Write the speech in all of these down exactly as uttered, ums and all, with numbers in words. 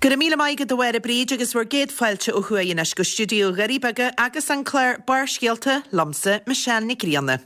Go raibh míle maith agat a Mháire Bríd agus bhur gcéad fáilte ó thuaidh anois go stiúideo Dhoirí Beaga agus an clár Barrscéalta liomsa Michelle Nic Grianna.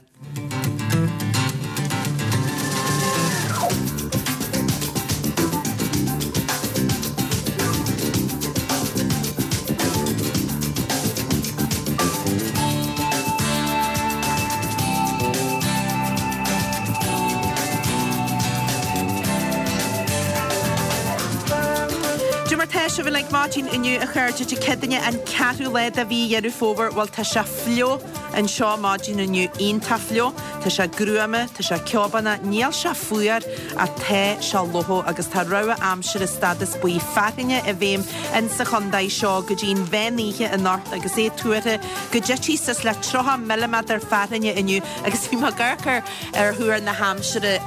Dé mar tá sibh uilig maidin inniu a chairde Dé Céadaoine an ceathrú lá de mhí Dheireadh Fómhair bhuel tá sé fliuch anseo maidin inniu iontach fliuch tá sé gruama tá sé ceobánach níl sé fuar ach tá sé fliuch agus tá rabhadh aimsire stádas buí fearthainne i bhfeidhm in sa chontae seo go dtí'n mheán oíche anocht agus é tuartha go dtitfidh suas le tríocha milliméadar fearthainne inniu agus bhí mé ag amharc ar ar thuar na haimsire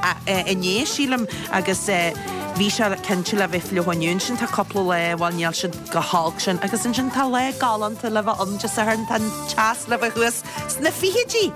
inné sílim agus bhí sé cinnte le bheith fliuch inniu ansin tá cúpla lá bhuel níl siad chomh holc sin agus ansin tá lá galánta le bheith ann Dé Sathairn tá an teas le bheith thuas sna fichidí.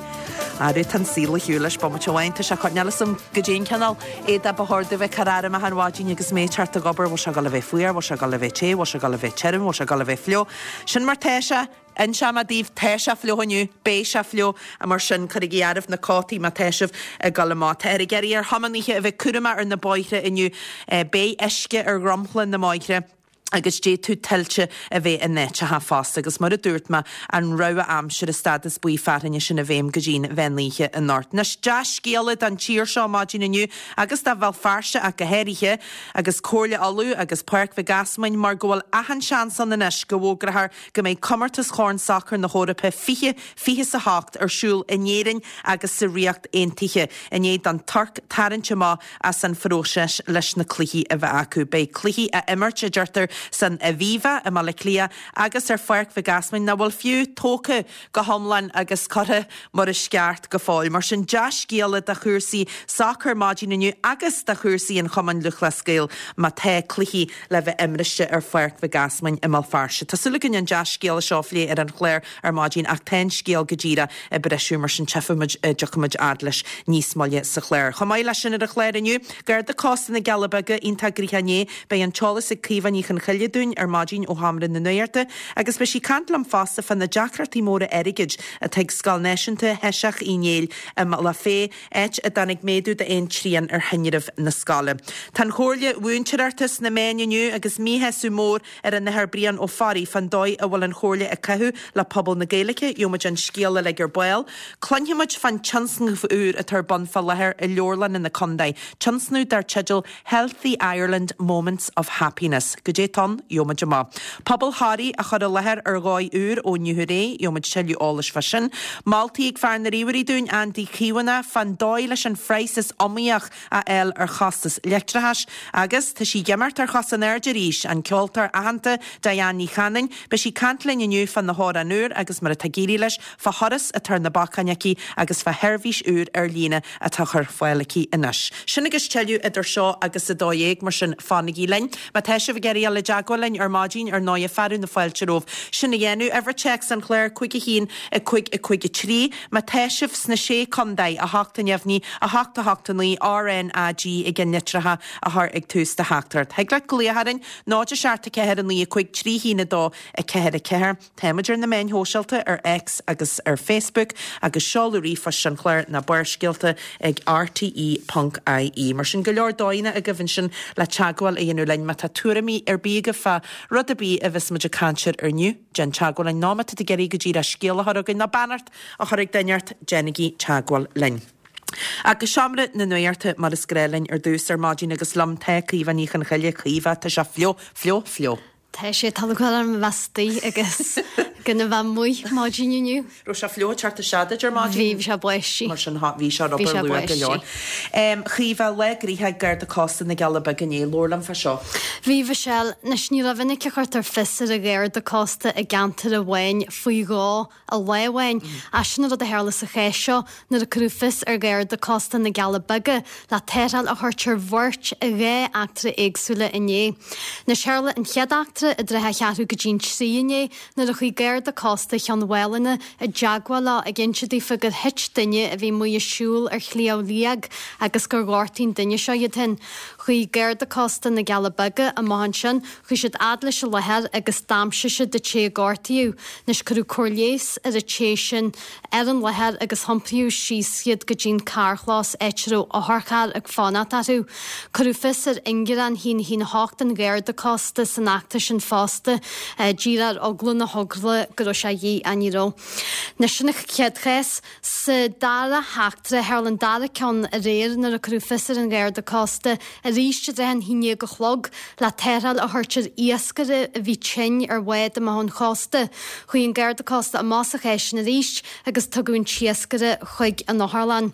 Arú tá an saol ar shiúl leis bomaite amháin tá sé coinneáil am go dtí an cineál éadaí ba chóir domh bheith ag cur orm achan mhaidin agus mé ag teacht ag obair bhfuil sé ag dul a bheith fuar bhfuil sé ag dul a bheith te bhfuil sé ag dul a bheith tirim bhfuil sé ag dul a bheith fliuch sin mar tá sé Inseoidh mé daoibh tá sé fliuch inniu, beidh sé fliuch, mar sin cuirigí áireamh na cótaí má tá sibh ag dul amach. Táthar ag iarraidh ar thiománaithe a bheith cúramach ar na bóithre inniu. Beidh uisce ar dhromchla na mbóithre agus d'fhéadfadh tuilte a bheith in áiteacha fosta agus mar a dúirt mé, an rabhadh aimsire stádas buí fearthainne sin i bhfeidhm go dtí'n mheán oíche anocht. Anois, dea-scéala don tír seo maidin inniu agus do Bhéal Feirste ach go háirithe, agus Comhairle Uladh agus Páirc Mhic Easmainn mar go bhfuil achan seans ann anois go bhfógrófar go mbeidh Comórtas Chorn Sacair na hEorpa fiche fiche is a hocht ar siúl in Éirinn agus sa Ríocht Aontaithe i ndiaidh don Tuirc tarraingt amach as an phróiseas leis na cluichí a bheith acu. Beidh cluichí á imirt, a deirtear, san Aviva i mBaile Átha Cliath agus ar Pháirc Mhic Easmainn nach bhfuil fiú tógtha go hiomlán agus curtha mar is ceart go fóill. Mar sin, dea-scéala do chúrsaí sacair maidin inniu agus do chúrsaí an Chumainn Lúthchleas Gael má tá cluichí le bheith imriste ar Pháirc Mhic Easmainn i mBéal Feirste. Tá súil againn an dea-scéala seo a phlé ar an chlár ar maidin ach tá an scéal go díreach ag briseadh mar sin tchífimid, tiocfaimid fhad leis níos moille sa chlár. Chomh maith leis sin ar an chlár inniu, Garda Cósta na gCealla Beaga iontach gnoitheach inné, beidh an t-eolas ag Caoimhe Ní Chonchoille dúinn ar maidin ó Sheomra na Nuachta agus beidh sí ag caint liom fosta fá na deacrachtaí móra airgid atá ag Scoil Náisiúnta Sheiseach Uí Néill i mBealach Féich, áit a dtáinig méadú d'aon trian ar thinreamh na scoile. Tá an Chomhairle Mhúinteoireachta sna meáin inniu agus míshásamh mór ar an Athair Brian Ó Fearraigh fán dóigh a bhfuil an Chomhairle ag caitheamh le pobal na Gaeilge, gheobhaimid an scéal uilig ar ball. Cluinfimid fán tionscnamh úr atá ar bun fá láthair i leabharlanna na contae, tionscnamh dar teideal Healthy Ireland Moments of Happiness. Goidé tá ann, gheobhaimid amach. Pobal Thoraí á chur i láthair ar dhóigh úr ó inniu ar aghaidh, gheobhaimid tuilleadh eolais fá sin. Moltaí ag fear na ríomhairí dúinn, Andy Caomhánach, fán dóigh leis an phraghas is iomaíoch a fháil ar chostas leictreachais. Agus tá sí ag imeacht ar chos in airde arís, an ceoltóir aitheanta Diane Ní Chanainn. Beidh sí ag caint linn inniu fá na hamhráin úr agus mar atá ag éirí leis, fá thuras atá ar na bacáin aici agus fá sheirbhís úr ar líne atá á chur ar fáil aici anois. Sin agus tuilleadh idir seo agus a dó dhéag, mar sin fanaigí linn. Má tá sibh ag iarraidh dul i dteagmháil linn ar maidin, ar ndóighe, fearadh na fáilte romhaibh sin a dhéanamh. Uimhir téacs an chláir, cúig a haon, a cúig, a cúig a trí. Má tá sibh sna Sé Contae, a hocht a neamhní, a hocht a hocht a naoi, RnaG ag an litreacha a chur ag tús do theachtaireacht. Thig leat glaoch orainn, náid a seacht a ceathair a naoi a cúig trí haon a dó a ceathair a ceathair. Táimid ar na meáin shóisialta ar X agus ar Facebook agus seoladh ríomhphoist an chláir ná Barrscéalta ag rte ponc ie. Mar sin go leor dóigheanna agaibh ansin le teagmháil a dhéanamh linn má tá tuairimí ar bith agaibh fá rud ar bith a bheas muid ag caint air inniu, déan teagmháil linn nó má tá tú ag iarraidh go díreach scéal a chur chugainn nó beannacht a chur ag duine ort, déanaigí teagmháil linn. Agus seomra na nuachta mar is gnáth linn ar dtús ar maidin agus liom tá Caoimhe Ní Chonchoille. Caoimhe, tá sé fliuch, fliuch, fliuch. Tá sé tá lúcháir orm a bheith istigh agus gan a bheith amuigh maidin inniu. Raibh sé fliuch ag teacht isteach duit ar maidin? Bhí, bhí sé báistí. Mar sin bhí sé ar Bhí obair sé luath go leor. báistí. Chaoimhe, lá gnoitheach ag Garda Cósta na gCealla Beaga inné, labhair liom fá seo. Bhí, Mhichelle. Anois ní rómhinic a chuirtear fios ar an Gharda Cósta i gceantar amháin faoi dhó i lá amháin. Ach sin an rud a tharla sa chás seo nuair a cuireadh fios ar Gharda Cósta na gCealla Beaga le tarrtháil a thabhairt ar bheirt i dhá eachtra éagsúla inné. Anois tharla an chéad eachtra heachtra i dtrátha a cheathrú go dtí'n trí inné nuair a chuaigh Garda Cósta Chionn Mhálanna i dteagmháil leo ag inse daofa gur thit duine a bhí amuigh ag siúl ar Shliabh Liag agus gur ghortaigh an duine seo iad féin. Chuaigh Garda Cósta na gCealla Beaga amach ansin, chuaigh siad fhad leis an láthair agus d'aimsigh siad an té a gortaíodh. Anois cuireadh cóir leighis ar an té sin ar an láthair agus hiompraíodh síos iad go dtí'n carrchlós áit a raibh otharcharr ag fanacht orthu. Cuireadh fios ar ingearán a haon a haon a hocht an Gharda Cósta san eachtra sin fosta, díreach ar eagla na heagla go raibh sé a dhíth ach ní raibh. Anois sin an chéad chás. Sa dara heachtra, tharla an dara ceann aréir nuair a cuireadh fios ar an Gharda Cósta arís i dtrátha an haon déag a chlog le tarrtháil a thabhairt ar iascaire a bhí tinn ar bhád amach ón chósta. Chuaigh an Garda Cósta amach sa chás sin arís agus tugadh an t-iascaire chuig an otharlann.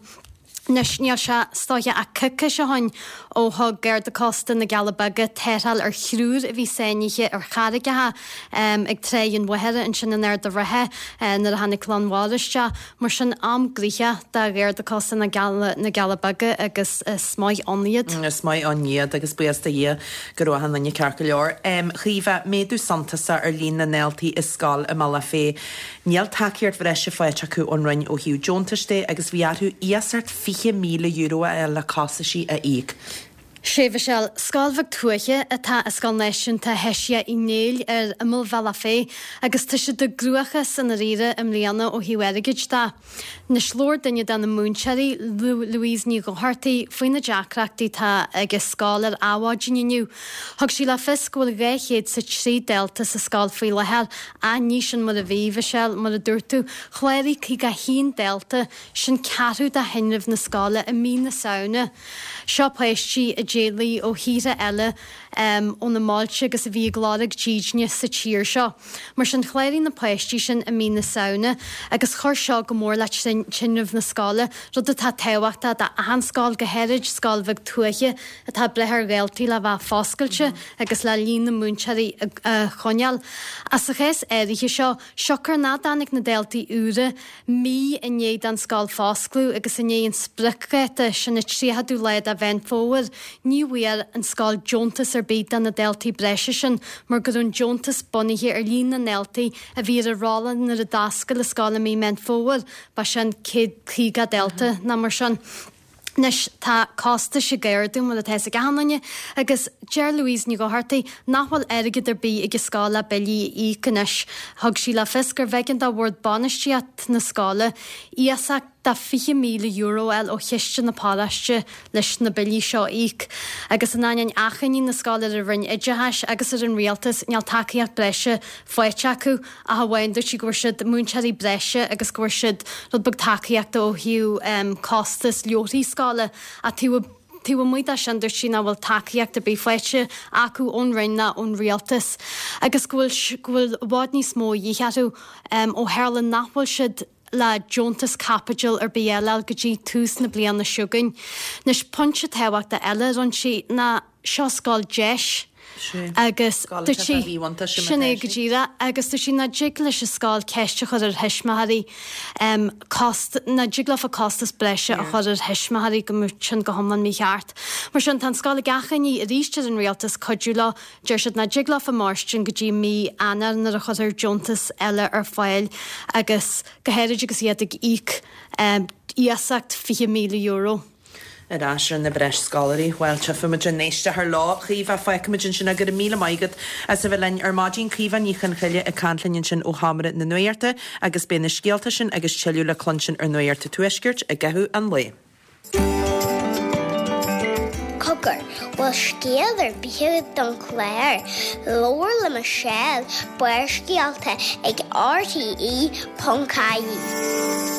Anois níl sé is dóiche ach coicís ó shin ó thug Garda Cósta na gCealla Beaga tarrtháil ar thriúr a bhí sáinnithe ar charraigeacha ag Tráigh an Mhachaire ansin in Ard an Rátha nuair a tháinig lán mhara isteach. Mar sin am gnoitheach do Gharda Cósta na gCealla Beaga agus is maith ann iad. Is maith ann iad agus buíochas do Dhia go raibh achan duine ceart go leor. Chaoimhe, méadú suntasach ar líon na ndaltaí i scoil i mBealach Féich. Níl tacaíocht bhreise faighte acu ón Roinn ó thaobh deontais de agus bhí orthu iasacht fiche míle euro a fháil le costaisí a íoc. Sea, a Mhichelle, scoil bheag tuaithe atá i Scoil Náisiúnta Hesia Uí Néill ar imeall Bhealach Féich agus tá siad i gcruachás i ndáiríre i mbliana ó thaobh airgid de. Anois labhair duine de na múinteoirí, Louise Ní Dhochartaigh, faoi na deacrachtaí atá ag an scoil ar Adhmhaidin inniu. Thug sí le fios go bhfuil dhá chéad 's a trí dalta sa scoil faoi láthair, ach ní sin mar a bhí, a Mhichelle, mar a dúirt tú, chláraigh caoga a haon dalta, sin ceathrú de thinreamh na scoile i mí na Samhna. Seo páistí a d'éalaigh ó thíortha eile ó na mbailte agus a bhí ag lorg dídine sa tír seo. Mar sin, chláraigh na páistí sin i mí na Samhna agus chuir seo go mór le tinreamh na scoile, rud atá tábhachtach d'achan scoil, go háirid scoil bheag tuaithe atá ag brath ar dhaltaí le bheith foscailte agus le líon na múinteoirí a choinneáil. Ach sa chás áirithe seo, siocair nach dtáinig na daltaí úra mí i ndiaidh don scoil foscladh agus i ndiaidh an spriocdháta, sin an tríochadú lá de Mheán Fómhair, ní bhfuair an scoil deontas ar bith do na daltaí breise sin mar go raibh an deontas bunaithe ar líon na ndaltaí a bhí ar an rolla nuair a d'oscail an scoil i mí Meán Fómhair, ba sin céad caoga dalta nó mar sin. Anois tá costais ag ardú mar atá fhios ag achan duine agus deir Louise Ní Dhochartaigh nach bhfuil airgead ar bith ag an scoil le billí a íoc anois. Thug sí le fios gurbh éigean do bhord bainistíocht na scoile iasacht de fiche míle euro a fháil ó chiste na paróiste leis na billí seo a íoc. Agus in ainneoin achainí na scoile ar an Roinn Oideachais agus ar an Rialtas níl tacaíocht breise faighte acu ach amháin dúirt sí go bhfuair siad múinteoirí breise agus go bhfuair siad rud beag tacaíochta ó thaobh costas leabharthaí scoile ach taobh taobh amuigh de sin dúirt sí nach bhfuil tacaíocht ar bith faighte acu ón Roinn ná ón Rialtas agus go bhfuil go bhfuil i bhfad níos mó a dhíth orthu ó tharla nach bhfuil siad le deontas caipitil ar bith eile a fháil go dtí tús na bliana seo chugainn. Anois pointe tábhachtach eile a rinne sí ná seo scoil deis agus dúirt sí sin é go díreach agus dúirt sí nach dtig leis an scoil ceist a chur ar thuismitheoirí cost nach dtig leofa costas breise a chur ar thuismitheoirí go mbeadh sin go hiomlán mícheart. Mar sin tá an scoil ag achainí arís ar an rialtas cuidiú leo Deir siad nach dtig leofa mairstin go dtí mí Eanáir nuair a chuirfear deontas eile ar fáil agus go háirid agus iad ag íoc iasacht fiche míle euro. Ar ais ar na breis scoláirí. Bhuel, tchífimid an éisteoir leo. Caoimhe, fágfaimid ansin é. Go raibh míle maith agat as a bheith linn ar maidin. Caoimhe Ní Chonchoille ag caint linn ansin ó Sheomra na Nuachta agus beidh na scéalta sin agus tuilleadh le cluinstin ar Nuacht an Tuaiscirt i gcaitheamh an lae. Cogar, bhfuil scéal ar bith agat don chlár? Labhair le Michelle, Barrscéalta ag RTE ponc ie.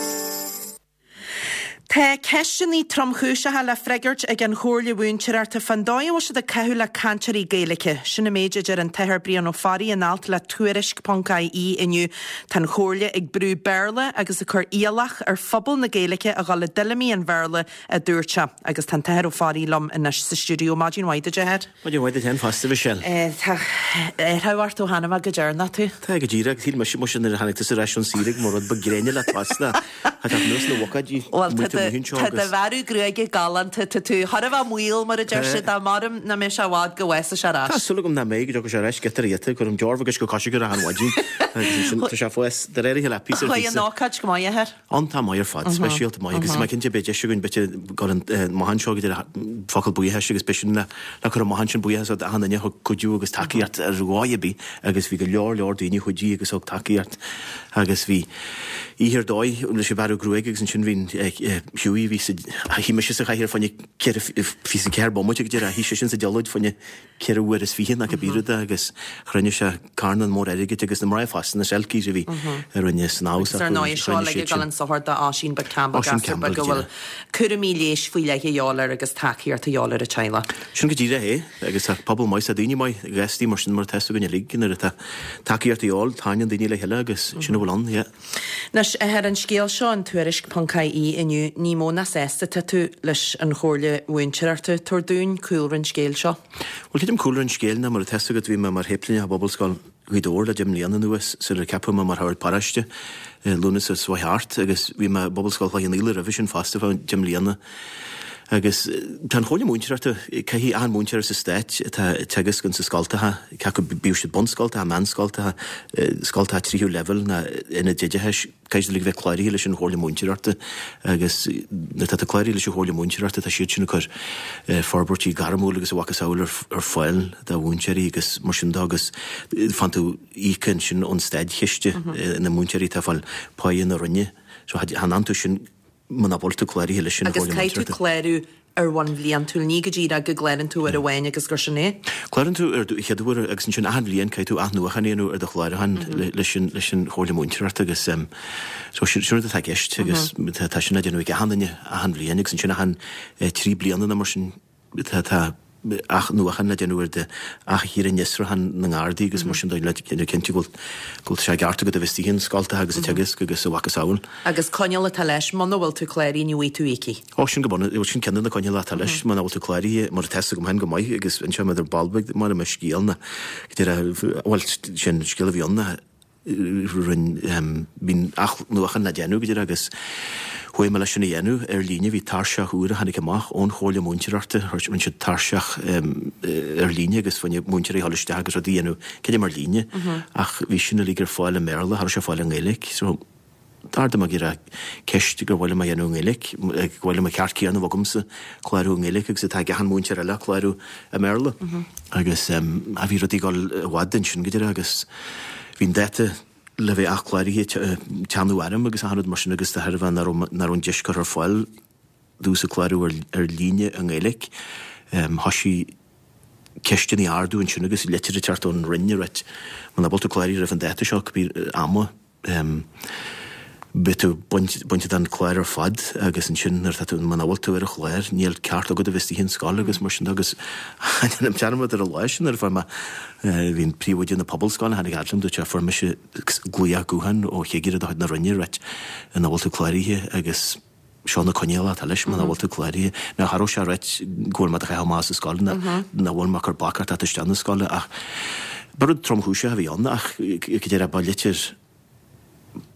Tá ceisteanna tromchúiseacha le freagairt ag an Chomhairle Mhúinteoireachta fán dóigh a bhfuil siad ag caitheamh le cainteoirí Gaeilge. Sin an méid a deir an tAthair Brian Ó Fearraigh in alt le Tuairisc ponc ie inniu. Tá an Chomhairle ag brú Béarla agus ag cur iallach ar phobal na Gaeilge a dhul i dtuilleamaí an Bhéarla, a dúirt sé. Agus tá an tAthair Ó Fearraigh liom anois sa stiúideo. Maidin mhaith duit, a Athair. Maidin mhaith duit féin fosta, a Mhichelle. Tá athrú ort ó tháinig mé go deireanach tú. Tá, go díreach. Shíl mise, muise, nuair a tháinig tusa ar ais ón saoire go mba rud beag gréine leat fosta. Tá teacht anuas na bhocáidí Bhuel, tá do amuigh anseo Tá do agus. bhearradh gruaige galánta, tá tú thar a bheith maol mar a deir siad, dá maram nach mbeidh sé i bhfad go bhfásfaidh sé ar Tá ais. súil agam nach mbeidh, go dtiocfaidh sé ar ais giota ar ghiota, cuirim deorbh agus go coise go rath an mhaidin agus ansin tá sé ag fás de réir a chéile píosa ar Chuaigh an phíosa. ócáid go maith, a athair. Iontach maith ar fad, speisialta maith agus mé cinnte beidh deis againn b'fhéidir dul an amach anseo go dtí focal buíochais agus b'shin le le cur amach ansin buíochas d'achan duine a thug cuidiú agus tacaíocht ar dhóigh ar bith agus bhí go leor leor daoine a chuidigh agus thug tacaíocht agus bhí oíche ar dóigh leis an bhearradh gruaige agus ansin bhí Hughie bhí sa shuigh mise sa chathaoir fá choinne ceithre fiche ceathair bomaite go deireadh shuigh seisean sa diallait fá choinne ceithre uair is fiche nó cibé rud é agus chruinnigh sé carnán mór airgid agus na mná fosta na Selkies a bhí a rinne snámh Agus ar ndóigh seo le ag dul an sochar d'Oisín Beag Campbell Oisín gasúr Campbell, beag go bhfuil cúraimí leighis faoi leith a dhíobháil air agus tacaíocht a dhíobháil ar an teaghlach. Sin go díreach é agus tá pobal maith tá daoine maith gastaí mar sin mar atá againn uilig nuair atá tacaíocht a dhíobháil tagann daoine le chéile agus sin a bhfuil ann, yeah. Anois ar an scéal seo an tuairisc ponc ie inniu ní mó ná sásta tá tú leis an Chomhairle Mhúinteoireachta tabhair dúinn cúlra an scéil seo. Well creidim cúlra an scéil ná mar atá agat bhí mé mar shéiplíneach i bPobalscoil Ghaoth Dobhair le deich mbliana anuas sular ceapadh mé mar shagart paróiste Lúnasa seo thart agus bhí mé i bPobalscoil Chloich Cheann Fhaola roimhe sin fosta fá deich mbliana. Agus tá an Chomhairle Múinteoireachta caithfidh achan múinteoir sa stát atá ag teagasc insa scoltacha cé acu bíodh siad bunscoltacha, meánscoltacha, scoltacha tríú leibhéal ná ionaid oideachais, caithfidh siad bheith cláraithe leis an Chomhairle Múinteoireachta agus nuair atá tú cláraithe leis an Chomhairle Múinteoireachta tá siad sin ag cur forbairtí gairmiúil agus a mhacasamhail ar ar fáil do mhúinteoirí agus mar sin de agus faigheann tú íoca ansin ón státchiste na múinteoirí atá ag fáil páighe na Roinne. So chan fhanann tú sin muna bhfuil tú cláraithe leis an Agus Chomhairle caithfidh tú Múinteoireachta. clárú ar bhonn bhliantúil ní go díreach go gclárann tú uair amháin agus gur sin é. Clárann tú ar do chéad uair agus ansin achan bhliain caithfidh tú athnuachan a dhéanamh ar do chlárúchán leis an leis an Chomhairle Múinteoireachta agus um, so sin sin rud atá i gceist agus tá tá sin á déanamh ag achan duine achan bhliain agus ansin achan eh, trí bliana nó mar sin tá tá athnuachan le déanamh ar de ath-fhiosrúchán na nGardaí agus mar sin de le cinnte go bhfuil go bhfuil sé ceart agat a bheith istigh scoltacha agus ag teagasc agus a mhacasamhail. Agus coinníoll atá leis muna bhfuil tú cláraithe ní bhfaighidh tú íocaí. Ó sin go bun sin ceann de na coinníollacha atá leis muna bhfuil tú cláraithe mar atá agam féin go maith agus anseo idir balbig mar mar scéal na bhuel sin scéal a bhí ann na rinne bhí athnuachan le déanamh go dtí agus chuaigh mé leis sin a dhéanamh ar líne bhí tairseach úr a tháinig amach ón Chomhairle Múinteoireachta rinne siad tairseach ar líne agus bhain múinteoirí thall isteach agus rudaí a dhéanamh creidim ar líne ach bhí sin uilig ar fáil i mBéarla, cha raibh sé ar fáil i nGaeilge so d'ardaigh mé gur ceist gur mhaith liom a dhéanamh i nGaeilge, go bhfuil an ceart céanna agamsa clárú i nGaeilge agus atá ag achan múinteoir eile clárú i mBéarla. Agus a bhí rudaí ag dul i bhfad ansin go deireadh agus bhí an dáta le bheith athchláraithe teannadh orm agus achan rud mar sin agus de thairbhe nach raibh nach raibh an deis curtha ar fáil domhsa clárú ar ar líne i nGaeilge. Thosaigh ceisteanna a ardú ansin agus litir ag teacht ón Roinn ag ráit muna bhfuil tú cláraithe roimh an dáta seo cibé ama beidh tú bainte den chlár ar fad agus ansin nuair atá tú muna bhfuil tú ar an chlár níl ceart agat a bheith istigh in scoil agus mar sin de agus déanaim dearmad ar an lá sin nuair a fuair mé bhí an príomhoide na pobalscoile tháinig fhad liom dúirt sé fuair mise glaoch gutháin ó chigire de chuid na Roinne ag ráit nach bhfuil tú cláraithe agus seo na coinníollacha atá leis muna bhfuil tú cláraithe. Now cha raibh sé ag ráit go bhfuil mé do chaitheamh amach as an scoil nach bhfuil mé ag cur bac ort teacht isteach na scoile ach ba rud tromchúiseach a bhí ann ach go deireadh ba litir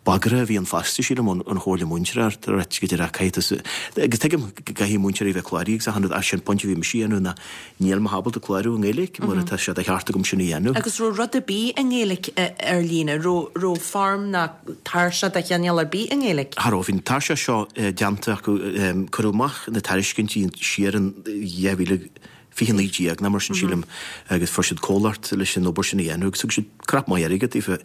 bagartha a bhí ann fosta sílim ón Chomhairle Múinteoireachta ag ráit go deireadh caithfidh tú agus tuigim go gcaithfidh múinteoirí bheith cláraithe agus achan rud ach sin pointe a bhí mise a dhéanamh ná níl mé ábalta clárú i nGaeilge mar atá sé de cheart agam sin a dhéanamh. Agus raibh rud ar bith i nGaeilge ar líne, raibh raibh foirm ná tairseach de chineál ar bith i nGaeilge? Cha raibh, bhí an tairseach seo déanta acu, cuireadh amach na tairiscintí siar in dhá mhíle fiche naoi déag nó mar sin sílim agus fuair siad comhlacht leis an obair sin a dhéanamh agus thug siad crap maith airgid daofa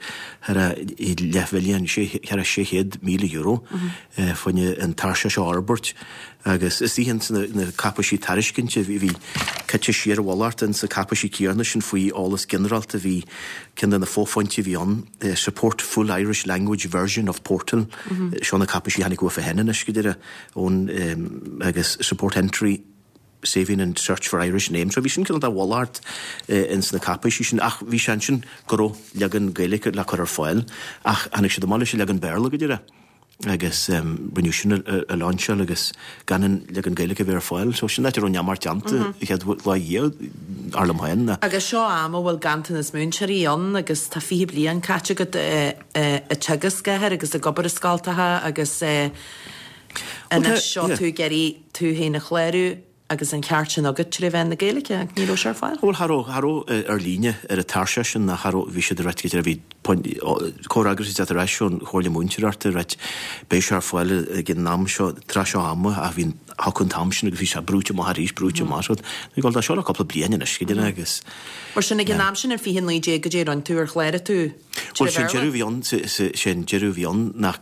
thar a leathmhilliún, thar a sé chéad míle euro fá choinne an tairseach seo a fhorbairt agus is iad na na cáipéisí tairiscinte bhí bhí caite siar i bhfolach ins na cáipéisí céanna sin faoi eolas ginearálta bhí ceann de na fophointí a bhí ann support full Irish language version of portal seo na cáipéisí a tháinig uafa féin anois go deireadh ón agus support entry saving and search for Irish names. So bhí sin cineál de mhalairt ins na cáipéisí sin ach bhí sé ansin go raibh leagan Gaeilge le cur ar fáil ach tháinig siad amach leis an leagan Béarla go deireadh agus rinneadh sin a lainseáil agus gan an leagan Gaeilge a bheith ar fáil. So sin áit a raibh neamart déanta an chéad lá dhiaidh, dar liom féin. Agus seo am a bhfuil ganntanas múinteoirí ann agus tá fiche bliain caite agat ag teagasc air agus ag obair i scoltacha agus Anois seo tú ag iarraidh tú féin a chlárú agus an ceart sin agat trí mheán na Gaeilge, ach ní raibh sé ar fáil. Bhuel, cha raibh, cha raibh ar líne ar an tairseach sin, ná cha raibh, bhí siad ag ráit go bhí comhfhreagras ag teacht ar ais ón Chomhairle Múinteoireachta ag ráit beidh sé ar fáil ag an am seo, tráth seo ama, ach bhí an, thiocfadh an t-am sin agus bhí sé brúite amach arís, brúite amach, so bhí dul dá seo le cúpla bliain anois, go deimhin agus. Mar sin ag an am sin in fiche naoi déag goidé a rinne tú, ar chláraigh tú Bhuel, sé an deireadh a bhí ann, sé an deireadh a bhí ann nach,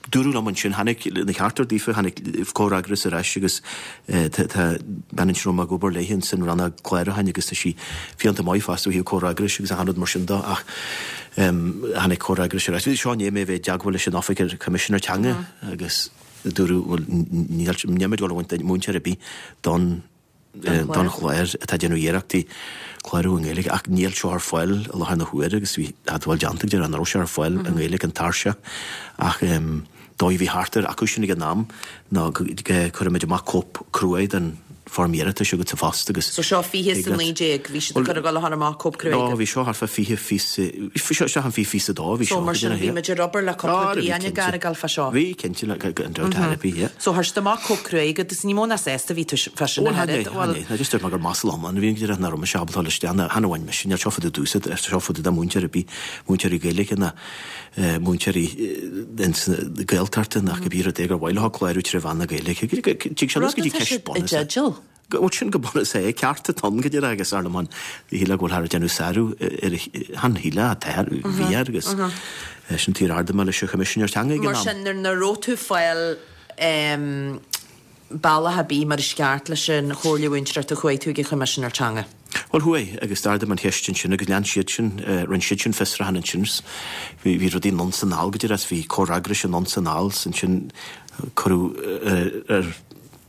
dúradh liom ansin, tháinig na cearta daofa, tháinig comhfhreagras ar ais agus tá bean ansin a raibh mé ag obair léi ansin, rannóg clárúcháin agus tá sí fiánta maith fosta ó thaobh comhfhreagrais agus achan rud mar sin de ach tháinig comhfhreagras ar ais. Seo i ndiaidh mé a bheith i dteagmháil leis an Oifig ar Choimisinéir Teanga agus dúradh, bhuel, níl, níl muid ag dul a bhaint múinteoir ar bith don don chlár atá ag déanamh iarrachtaí clárú i nGaeilge ach níl seo ar fáil i láthair na huaire agus bhí admháil déanta go deireadh nach raibh sé ar fáil i nGaeilge an tairseach ach dóigh a bhí thart ar acu sin ag an am ná go gcuirfimid amach cóip cruaidh den foirm iarratais agat sa phost agus So seo fiche is a naoi déag, bhí siad ag cur ag dul a chur amach cóip cruaidh No, bhí seo thart fá fiche fiche, seo an fiche fiche a dó bhí seo. So mar sin bhí muid ar obair le cúpla bliain ag gabháil fá seo. Bhí, cinnte, gan dabht ar bith, yeah. So chuir siad amach cóip cruaidh agat agus ní mó ná sásta a bhí tú fá sin a oiread. Bhuel, chan é, just dúirt mé gur masla iomlán a bhí ann, go díreach nach raibh mise ábalta dul isteach, chan amháin mise, níl seo fá dtaobh domhsa, tá seo fá dtaobh de mhúinteoir ar bith, múinteoirí Gaeilge ná múinteoirí ins na Gaeltachta nach cibé rud é gur mhaith leo clárú trí mheán na Gaeilge. Tig sé anuas go dtí ceist bunúsach. Bhuel, sin go bunúsach é, ceart atá ann go díreach agus ar ndóigh shílfeá go bhfuil ag déanamh sárú ar an shíle atá bhí air agus sin tír ardaigh mé leis an Choimisinéir Teanga ag an am. Mar sin, nuair nach raibh tú ag fáil bealach ar bith mar is ceart leis an Chomhairle Mhúinteoireachta chuaigh tú ag an Choimisinéir Teanga? Bhuel, chuaigh, agus d'ardaigh mé an cheist ansin agus lean siad sin, rinne siad sin fiosrúchán ansin. Bhí, bhí rudaí anonn 's anall go díreach, bhí comhfhreagrais anonn 's anall 's ansin cuireadh ar,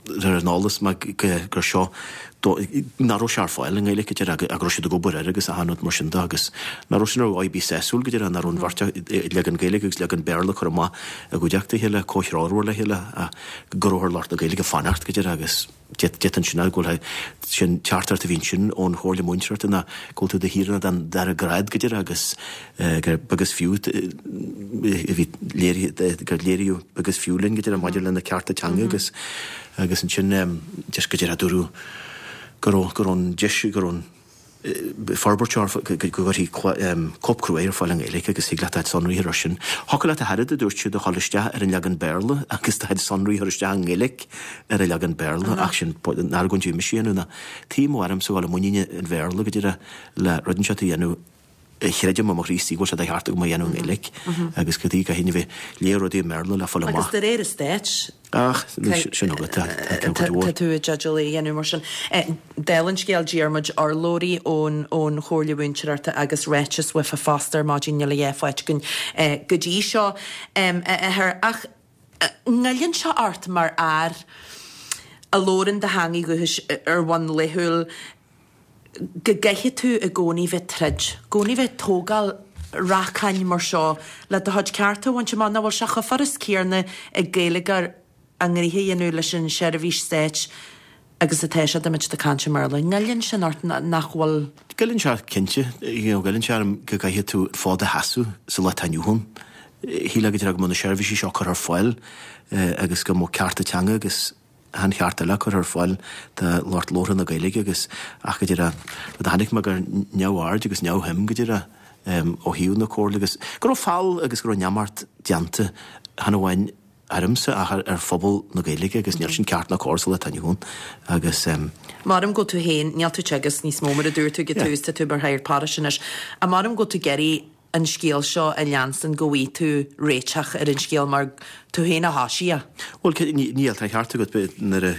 ar an eolas mé gur seo nach raibh sé ar fáil i nGaeilge go díreach ach go raibh siad ag obair air agus achan rud mar sin de agus nach raibh sin ar dhóigh ar bith sásúil go díreach nach raibh an bheirt leagan Gaeilge agus leagan Béarla curtha amach i gcuideachta a chéile, comhthreomhar le chéile ach go raibh ar lucht na Gaeilge fanacht go díreach agus d'fhéadfainn sin a go bhfuil sin teachtaireacht a bhí ansin ón Chomhairle Múinteoireachta ná go bhfuil tú i do shaoránach den dara grád go díreach agus gur beag is fiú a bhí léirithe gur léiríodh beag is fiú linn go díreach maidir lena cearta teanga agus agus ansin just go díreach dúradh go raibh go raibh an deis go raibh an forbairt seo go gcuirfí cóip cruaidh ar fáil i nGaeilge agus thig leat do chuid sonraí a chur air sin. Thiocfadh leat a thairfead, a dúirt siad, a dhul isteach ar an leagan Béarla agus do chuid sonraí a chur isteach i nGaeilge ar an leagan Béarla ach sin an argóint a bhí mise a dhéanamh ná tuigim ó ormsa a dhul i muinín an Bhéarla go díreach le rud inteacht a dhéanamh a chreidim i mo chroí istigh go bhfuil sé de cheart agam a dhéanamh i nGaeilge agus go dtí go haon a bheith léamh rudaí i mBéarla le fáil amach. Agus de réir an Stáit, Ach, sin agat, tá tá cuid mhór. Tá tú i dteideal é a dhéanamh mar sin. Dála an scéil, d'iarr muid urlabhraí ón ón Chomhairle Mhúinteoireachta agus ráiteas uafa fosta ar maidin, níl a dhath faighte againn go dtí seo, a Athair. Ach an ngoilleann sé ort mar fhear a labhrann do theangaidh dhúchais ar bhonn laethúil, go gcaithfidh tú i gcónaí bheith troid, i gcónaí bheith tógáil racáin mar seo le do chuid cearta a bhaint amach, nach bhfuil sé chomh furast céarna ag Gaeilgeoir a ngnoithe a dhéanamh leis an seirbhís stáit agus atá sé dá mbeadh siad ag caint i mBéarla. An ngoilleann sin ort nach bhfuil? Goilleann sé cinnte, you know, goilleann sé orm go gcaithfidh tú an fód a sheasamh sa lá atá inniu ann. Shílfeá go díreach go mbeadh na seirbhísí seo curtha ar fáil agus go mbeadh cearta teanga agus achan cheart eile curtha ar fáil do lucht labhartha na Gaeilge agus ach go díreach rud a chonaic mé gur neamhaird agus neamhshuim go díreach ó thaobh na Comhairle agus go raibh feall agus go raibh neamart déanta chan amháin ormsa ach ar phobal na Gaeilge agus níl sin ceart ná cóir sa lá atá inniu ann agus. Maram go bhfuil tú féin, níl tú ag teagasc níos mó mar a dúirt tú ag an tús, tá tú mar shagart paráiste anois, ach maram go bhfuil tú ag iarraidh an scéal seo a leanstan go bhfaighidh tú réiteach ar an scéal mar tú féin a thoisigh é. Bhuel, níl, tá an ceart agat, nuair a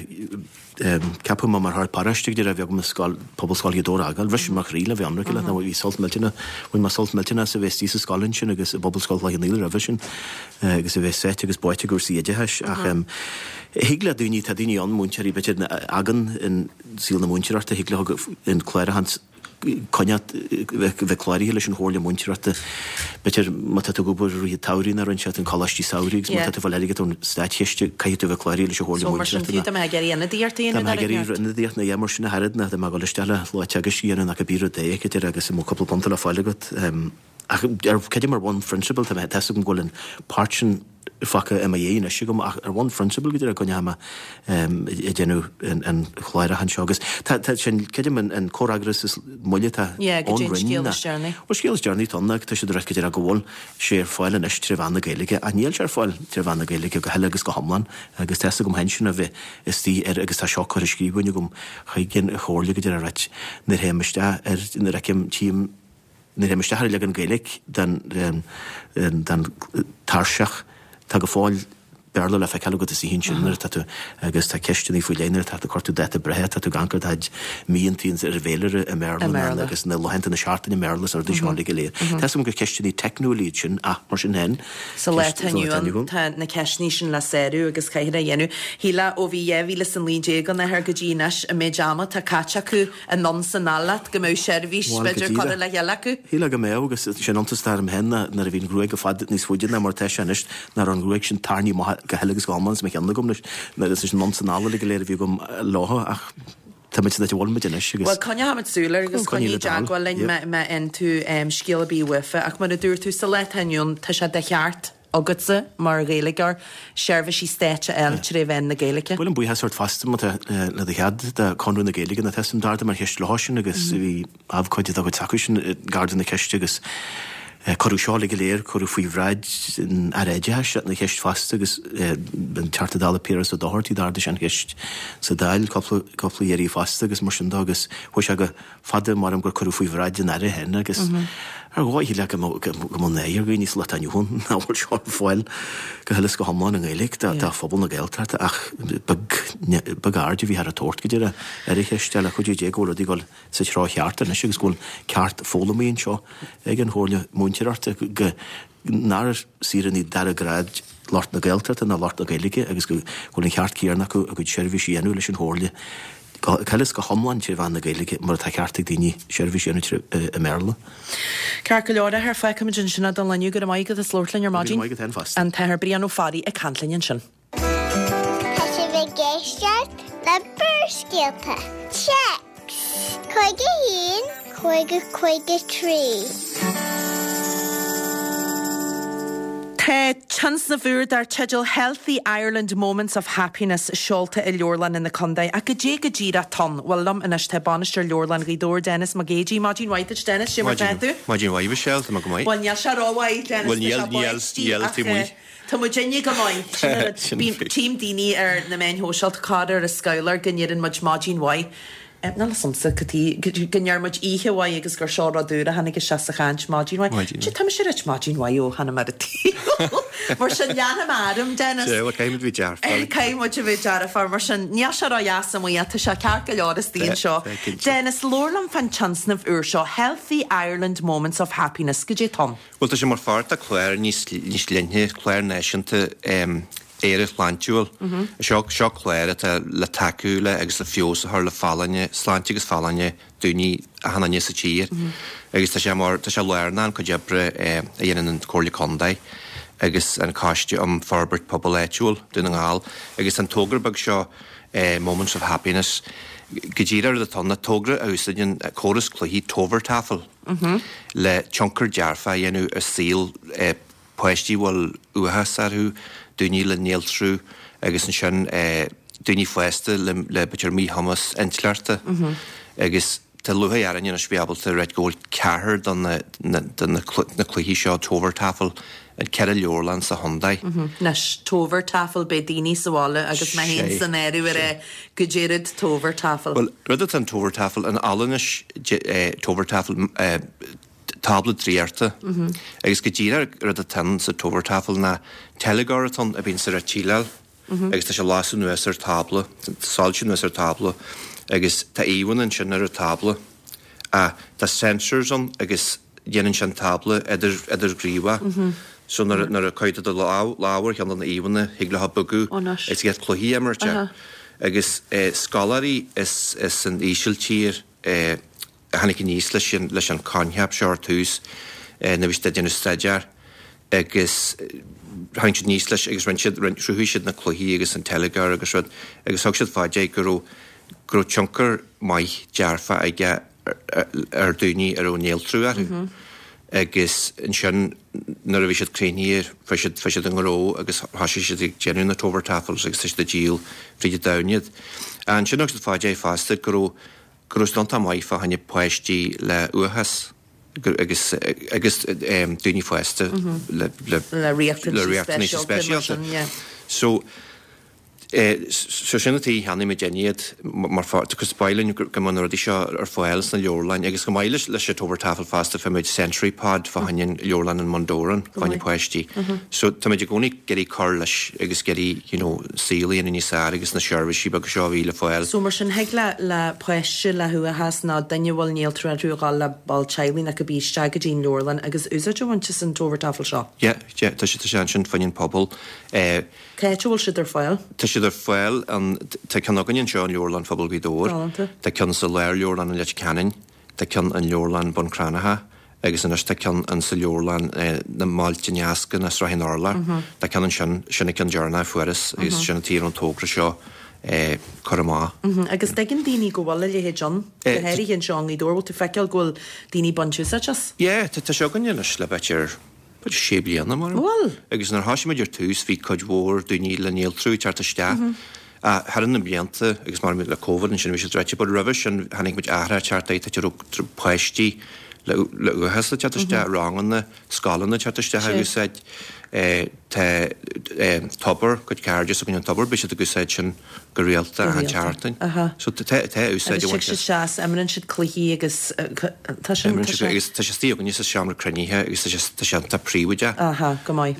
ceapadh mé mar shagart paráiste go díreach bhí agam an scoil, Pobalscoil Ghaoth Dobhair a fhágáil, bhris mo chroí le bheith ionraic leat, nó bhí sult millteanach, bhain mé sult millteanach as a bheith istigh sa scoil ansin agus i bPobalscoil Chloich Cheann Fhaola roimhe sin agus a bheith sáite agus báite i gcúrsaí oideachais ach thig le daoine, tá daoine ann, múinteoirí b'fhéidir a fhágann an saol na múinteoireachta, thig leo an cláraitheán coinneáil, bheith cláraithe leis an Chomhairle Múinteoireachta. B'fhéidir má tá tú ag obair i rith an tsamhraidh nó roinnt an coláistí samhraidh agus má tá tú ag fáil airgead ón státchiste caithfidh tú a bheith cláraithe leis an Chomhairle So mar sin Múinteoireachta fiú dá mbeifeá ag iarraidh ionadaíocht a Dá dhéanamh mbeifeá ag ar an iarraidh ionadaíocht nó mar sin a thairfead nó dá mbeifeá ag dul isteach le lá teagaisc a dhéanamh nó cibé rud é b'fhéidir agus an mbeadh cúpla punt le fáil agat. Ach ar creidim ar bhonn phrionsabal tá mé tá a fhios agam go bhfuil an páirt sin fágtha i mo dhiaidh anois agam ach ar bhonn phrionsabail go díreach go ndeachaigh mé ag déanamh an chláir anseo agus tá sin creidim an comhfhreagras is moille atá ón Roinn ná bhuel scéal is deireanaí atá ann ná tá siad ag rá go díreach go bhfuil sé ar fáil anois tré mheán na Gaeilge ach níl sé ar fáil tré mheán na Gaeilge go huile agus go hiomlán agus tá fhios agam féin sin a bheith istigh ar agus tá seo curtha i scríbhinn agam chuig an Chomhairle go díreach ráit nuair a théim isteach ar nuair a fheicim tchím Nuair a théim isteach ar an leagan Gaeilge den den tairseach, tá go fóill Béarla le feiceáil agat istigh ansin nuair atá tú agus tá ceisteanna faoi leith nuair atá tú ag cuartú dáta breithe, tá tú ag amharc ar do chuid míontaí ar an bhféilire i mBéarla na agus na laethanta na seachtaine i Mbéarla is na rudaí seo uilig go léir. Tá fhios agam gur ceisteanna teicniúla iad sin ach mar sin féin, Sa lá atá inniu ann tá na ceisteanna sin le sárú agus caithfear a dhéanamh. Shílfeá ó bhí dhá mhíle is a naoi déag ann athair go dtí anois an méid ama atá caite acu anonn 's anall leat go mbeadh seirbhís Bhuel, go b'fhéidir díreach. curtha le chéile acu. Shílfeá go mbeadh agus sé an iontas atá orm féin ná nuair a bhí an ghruaig i bhfad níos faide ná mar atá sé anois, nach raibh an ghruaig sin tarraingthe amach go huile agus go hiomlán as mo cheann agam anois, nuair is anonn 's anall uilig go léir a bhí agam leo ach tá muid san áit a bhfuil muid anois agus Bhuel, coinneochaimid súil air agus Coinnigh coinnigh le do thoil. teagmháil linn Yep. má má fhaigheann tú scéal ar bith uafa ach mar a dúirt tú sa lá atá inniu ann tá sé de cheart agatsa mar Ghaeilgeoir seirbhísí stáit a fháil tré mheán na Gaeilge. Ba mhaith liom buíochas a thabhairt fosta má tá le do chead do Conradh na Gaeilge nó tá fhios agam d'ardaigh mé an cheist leo sin agus bhí abhcóide dá gcuid s'acu sin gar do na ceiste agus cuireadh seo uilig go léir, cuireadh faoi bhráid an Aire Oideachais an cheist fosta agus an Teachta Dála Piaras Ó Dochartaigh d'ardaigh sé an cheist sa Dáil cúpla cúpla iarraidh fosta agus mar sin de agus chuaigh sé go fada maram gur cuireadh faoi bhráid an Aire féin agus ar dhóigh le go mbeadh náire ar dhaoine sa lá atá inniu ann nach bhfuil seo ar fáil go huile is go hiomlán i nGaeilge do phobal na Gaeltachta ach beag beag aird a bhíthear a tabhairt go deireadh ar an cheist le cuidiú Dé go bhfuil rudaí ag dul sa treo cheart anois agus go bhfuil ceart foghlamtha anseo ag an Chomhairle Múinteoireachta go nár saoránaigh dara grád lucht na Gaeltachta ná lucht na Gaeilge agus go bhfuil an ceart céanna acu a gcuid seirbhísí a dhéanamh leis an Chomhairle go huile is go hiomlán tré mheán na Gaeilge mar atá ceart ag daoine seirbhís a dhéanamh i mBéarla. Ceart go leor, a Athair, fágfaimid ansin é don lá inniu. Go raibh maith agat as labhairt linn ar maidin. Go raibh maith agat féin fosta. An tAthair Brian Ó Fearraigh ag caint linn ansin. Tá sibh ag éisteacht le Barrscéalta. Téacs cúig a haon, cúig a cúig a trí. Tá tionscnamh úr dar teideal Healthy Ireland Moments of Happiness seolta i leabharlanna na contae. Ach goidé go díreach atá ann? Bhuel, liom anois tá Bainisteoir Leabharlann Ghaoth Dobhair, Denis Mac Géidigh. Maidin mhaith duit, Denis, cé mar atá tú? Maidin mhaith, Michelle, tá mé go maith. Bhuel, níl sé rómhaith, Denis, Bhuel, tá níl, sé níl, báistí níl, ach taobh amuigh. tá muid inne go maith. Sin an rud. Sin Bím, faoi. tchím daoine ar na meáin shóisialta corruair ar an scabhlar go ndeireann muid maidin mhaith. Níl fhios a'msa cad chuige go ndeir muid oíche mhaith agus gur seo rud úr a tháinig isteach sa chaint, maidin mhaith. Maidin mhaith. Tá mise ag ráit maidin mhaith ó tháinig mé ar an tsaol. Mar sin leanfaidh mé orm, Dennis. Sea, bhuel, caithfidh muid bheith dearfach. Caithfidh muid a bheith dearfach, mar sin níl sé ródheas amuigh ach tá sé ceart go leor istigh anseo. Dennis, labhair liom fán tionscnamh úr seo, Healthy Ireland Moments of Happiness, goidé atá ann? Bhuel, tá sé mar pháirt de chlár níos níos leithne, clár náisiúnta Éire Shláintiúil. Seo seo clár atá le tacú le agus le feabhas a chur le folláine, sláinte agus folláine daoine achan duine sa tír. Agus tá sé mar, tá sé lárnach an cuid oibre a dhéanann an Comhairle Contae agus an Coiste um Forbairt Pobail Áitiúil, Dún na nGall. Agus an togra beag seo Moments of Happiness, go díreach rud atá ann ná togra a úsáideann córas cluichí Tovertafel le tionchar dearfach a dhéanamh ar saol páistí a bhfuil uathachas orthu, daoine le néaltrú agus ansin daoine fásta le le b'fhéidir míchumas intleachta agus tá lúcháir orainn anois bheith ábalta ráit go bhfuil ceathair de na de na na cluichí seo Tovertafel in ceithre leabharlann sa chontae. Anois Tovertafel beidh daoine sa bhaile agus mé féin san áireamh ag rá goidé rud Tovertafel. Bhuel rud atá in Tovertafel in Albanais Tovertafel tábla draíochta. Agus go díreach rud atá ann sa Tovertafel ná teilgeoir atá ann a bhíonn sa tsíleáil agus tá sé lasadh anuas ar tábla, soilsiú anuas ar tábla agus tá íomhánna ansin ar an tábla. Ah, tá sensors ann agus déanann sé an tábla idir idirghníomhach. So nuair nuair a chuir tú do lámh lámh ar cheann de na íomhánna thig leo bogadh agus iad cluichí a imirt. Agus scoláirí is is san Ísiltír eh, a tháinig aníos leis an leis an coincheap seo ar tús nuair a bhí siad ag déanamh staidéar agus tháinig siad aníos leis agus rinne siad chruthaigh siad na cluichí agus an teilgeoir agus rud agus thug siad fá dear go raibh go raibh tionchar maith dearfach aige ar daoine a raibh néaltrú orthu. Agus ansin nuair a bhí siad críochnaithe fuair siad fuair siad an gnó agus thosaigh siad ag déanamh na Tovertafels agus tá siad ag díol fríd an domhan iad. Ansin thug siad fá dear fosta go raibh go raibh siad iontach maith fá choinne páistí le uathachas agus agus daoine fásta le le Le riachtanais speisialta mar sin, yeah. So So sin an tuige cheannaigh muid iad mar cos ba mhaith linn go mbeadh na rudaí seo ar fáil sna leabharlainn agus chomh maith leis leis an Tovertafel fosta fuair muid Sensory Pod fá choinne an leabharlann in Bundoran fá choinne páistí. So tá muid i gcónaí ag iarraidh cur leis agus ag iarraidh you know saol a dhéanamh níos fearr agus na seirbhísí beaga seo a bhí le fáil. So mar sin thig le le páiste le huathachas nó duine a bhfuil néaltrú orthu a dhul le ball teaghlaigh nó cibé isteach go dtí an leabharlann agus úsáid a bhaint as an Tovertafel seo? Yeah, yeah, tá sé tá sé ansin fá choinne an pobal. Eh, Cá háit a bhfuil siad ar fáil? Tá siad ar fáil an, tá ceann againn anseo in Leabharlann Phobail Ghaoth Dobhair, Galánta. tá ceann sa Lárleabharlann i Leitir Ceanainn, tá ceann in Leabharlann Bun Cranncha agus anois tá ceann in sa leabharlann na mBailte Ineasctha na Srath an Urláir. Tá ceann ansin, sin an ceann deireanach a fuarthas agus sin an tuige a raibh an togra seo curtha amach. Agus tuigeann daoine go bhfuil a leithéid ann, go háirithe anseo i nGaoth Dobhair, bhfuil tú ag feiceáil go bhfuil daoine ag baint úsáid as? Yeah, tá sé againn anois le b'fhéidir B'fhéidir sé bliana mar. Bhfuil? Agus nuair a thosaigh muid ar tús bhí cuid mhór daoine le néaltrú ag teacht isteach. Thar na blianta agus mar le Covid ansin bhí sé druidte, but roimhe sin chonaic muid athrú ag teacht air, tá raibh páistí le le uathachas ag teacht isteach, ranganna, scoileanna ag teacht isteach ag úsáid. Tá Tobar, cuid cairde s'againn an Tobar, bíonn siad ag úsáid sin go rialta achan tseachtain. So tá tá úsáid Agus tig siad isteach, imríonn siad cluichí agus tá sin Imríonn siad agus tá sé istigh againne sa seomra cruinnithe agus tá sé tá sé iontach príobháideach. Aha, go maith.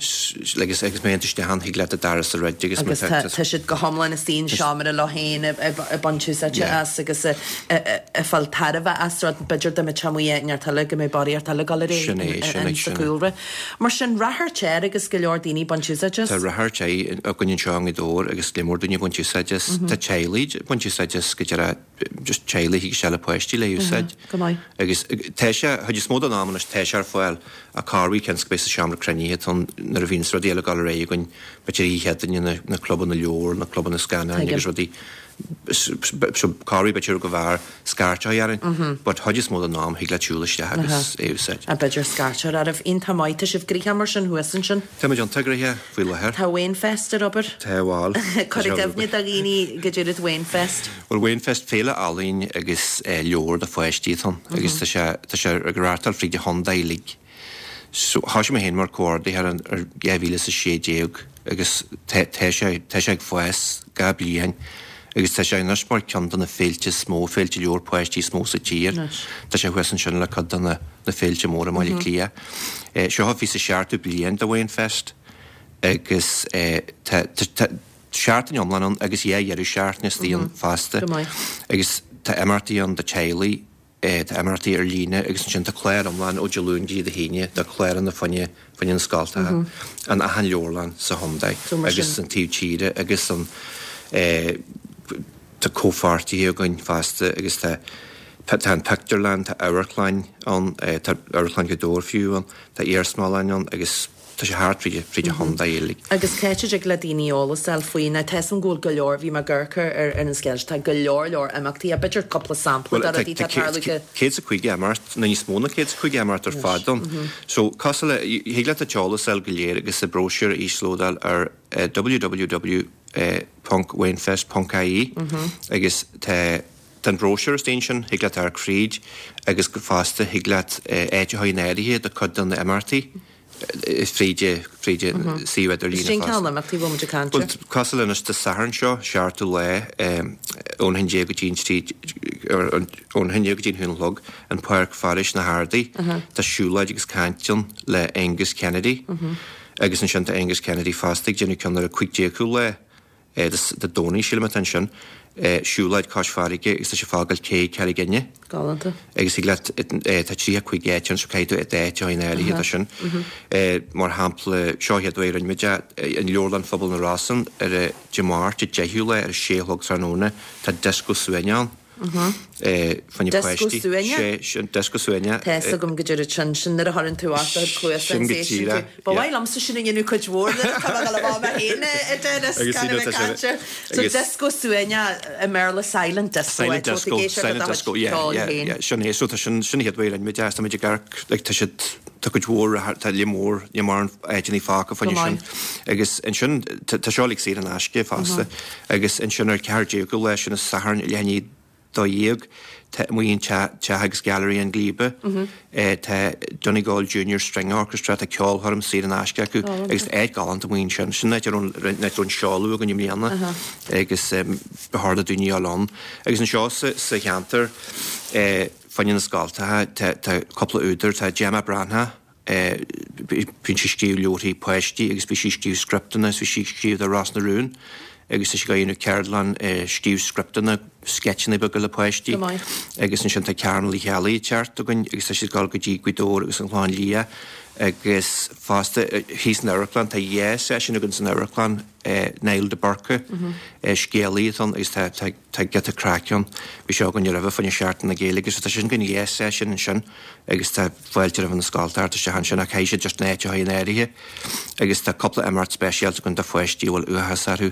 Agus agus má théann tú isteach ann thig leat an doras a dhruid agus Agus tá tá siad go hiomlán istigh i seomra leo féin ag baint úsáide as agus ag fáil tairbhe as rud b'fhéidir dá mbeadh amuigh i neart eile go mbeadh barraíocht eile ag dul ar aghaidh Sin é, sin é, sa sin é. chúlra. Mar sin ráchairt air agus go leor daoine ag baint úsáid as. Tá ráchairt air againn anseo i nGaoth Dobhair agus go leor daoine ag baint úsáid as. Tá teaghlaigh ag baint úsáid as go deireadh just teaghlaigh a thig isteach le páistí le úsáid. Go maith. Agus tá sé, chuid is mó den am anois tá sé ar fáil ach corruair cionn is go mbeidh sa seomra cruinnithe atá ann nuair a bhíonn rudaí eile ag dul ar aghaidh againn, b'fhéidir oíche Chéadaoine na, na clubanna leabhar, na clubanna scannáin agus rudaí. So corruair b'fhéidir go bhfearr scairt a chur orainn, but chuid is mó den am thig leat siúl isteach agus é a úsáid. A b'fhéidir scairt a chur oraibh. Iontach maith. Tá sibh gnoitheach mar sin thuas ansin. Tá muid iontach gnoitheach faoi láthair. Tá Wainfest ar obair. Tá bhuel. Cuir i gcuimhne do dhaoine goidé rud Wainfest. Bhuel Wainfest féile ealaíon agus leabhar do pháistí atá ann agus tá sé tá sé ag reáchtáil fríd an chontae uilig. So thosaigh mé féin mar comhordaitheoir ar dhá mhíle is a sé déag agus tá tá sé tá sé ag fás gach bliain agus tá sé anois mar ceann de na féilte is mó, féilte leabhar páistí is mó sa tír. Tá sé thuas ansin le cuid de na na féilte móra i mBaile Átha Cliath. Seo a bhí sa seachtú bliain de Wainfest agus tá tá tá seachtain iomlán ann agus dhá dheireadh seachtaine istigh ann fosta. Agus tá imeachtaí ann do teaghlaigh, tá imeachtaí ar líne agus ansin tá clár iomlán ó Dé Luain go dtí Dé hAoine de chláranna fá choinne fá choinne na scoltacha in achan leabharlann sa chontae agus an taobh tíre agus an tá comhpháirtithe againn fosta agus tá tá an pictiúrlann, tá amharclann ann, tá amharclann Ghaoth Dobhair fiú ann, tá iarsmalann ann agus tá sé thart fríd fríd an chontae uilig. Agus cá háit a dtig le daoine eolas a fháil faoi? Now tá 'fhios a'm go bhfuil go leor, bhí mé ag amharc ar ar an scéal seo, tá go leor leor imeachtaí, b'fhéidir cúpla sampla de rudaí atá ag tarlú go. Céad is a caoga imeacht, nó níos mó ná céad is a caoga imeacht ar fad ann. So cosúil le, thig leat an t-eolas a fháil go léir agus an bróisiúr a íoslódáil ar www ponc wainfest ponc ie agus tá tá an bróisiúr istigh ansin, thig leat amharc fríd agus go fosta thig leat áit a chur in áirithe do cuid de na imeachtaí fríd fríd an suíomh idirlíne Cén fosta. cineál imeachtaí a bhfuil muid ag caint Bhuel air? cosúil le anois Dé Sathairn seo, seachtú lá, ón haon déag go dtí an trí, ón haon déag go dtí an haon a chlog, an Páirc Phárais na hArdaí, tá siúlóid agus caint ann le Aengus Kennedy agus ansin tá Aengus Kennedy fosta ag déanamh ceann ar an cúig déagú lá Dé Domhnaigh, sílim atá ansin, siúlóid cois farraige agus tá sé ag fágáil cé Carraig Fhinne. Galánta. Agus thig leat, tá tríocha cúig áit ann so caithfidh tú d'áit a chur in áirithe do sin. Mar shampla, seo an chéad uair a rinne muid é, in Leabharlann Phobail na Rosann ar Dé Máirt, an deichiú lá ar a sé a chlog tráthnóna, tá dioscó suaimhneach ann. Fá choinne Dioscó páistí. suaimhneach? Sé, sin dioscó suaimhneach. Tá 'fhios agam goidé rud sin, sin nuair a chuireann tú ort do chuid cluasa Sin agus go éisteann tú. díreach, Ba yeah. mhaith liomsa sin a dhéanamh cuid mhór nuair atá mé ag dul amach mé féin a Dennis, Agus gan a you know, bheith tá sé- cainte. So agus- dioscó suaimhneach i mBéarla silent disco, Silent eh, tá disco, tú ag éisteacht le silent do chuid disco, yeah, ceoil yeah, féin. yeah, sin é. So tá sin, sin an chéad uair a rinne muid é, tá muid ag amharc, like, tá siad, tá cuid mhór tá líon mór níl mórán áiteanna fágtha fá choinne sin. Agus ansin tá seo uilig saor in aisce fosta. Agus ansin ar ceathair déag lá sin is Satharn leath i ndiaidh dó dhéag tá amuigh in Teach agus Gailearaí an Ghlíbe. Tá Donegal Junior String Orchestra tá ceolchoirm saor in aisce acu agus áit galánta amuigh ansin. Sin áit a raibh an seoladh againn i mbliana agus ba chóir do daoine a dhul ann. Agus anseo sa cheantar fá choinne na scoltacha tá cúpla údar, tá Gemma Breathnach, bíonn sí ag scríobh leabharthaí páistí agus bhí sí ag scríobh scripteanna is bhí sí ag scríobh do Ros na Rún agus tá sí ag déanamh ceardlann scríobh scripteanna, sceitseanna beaga le páistí. Agus ansin tá Carmel Uí Cheallaigh ag teacht againn agus tá sí ag dul go dtí Gaoth Dobhair agus an Chlochán Liath agus fosta thíos san amharclann, tá dhá seisiún againn san amharclann, Niall de Búrca, scéalaí atá ann agus tá tá giota craic ann. Bhí sé againn roimhe fá choinne Seachtain na Gaeilge so tá sin againn dhá seisiún ansin agus tá fáilte roimh na scoltacha teacht isteach ansin ach caithfidh siad just na háit a chur in áirithe agus tá cúpla imeacht speisialta againn do pháistí a bhfuil uathachas orthu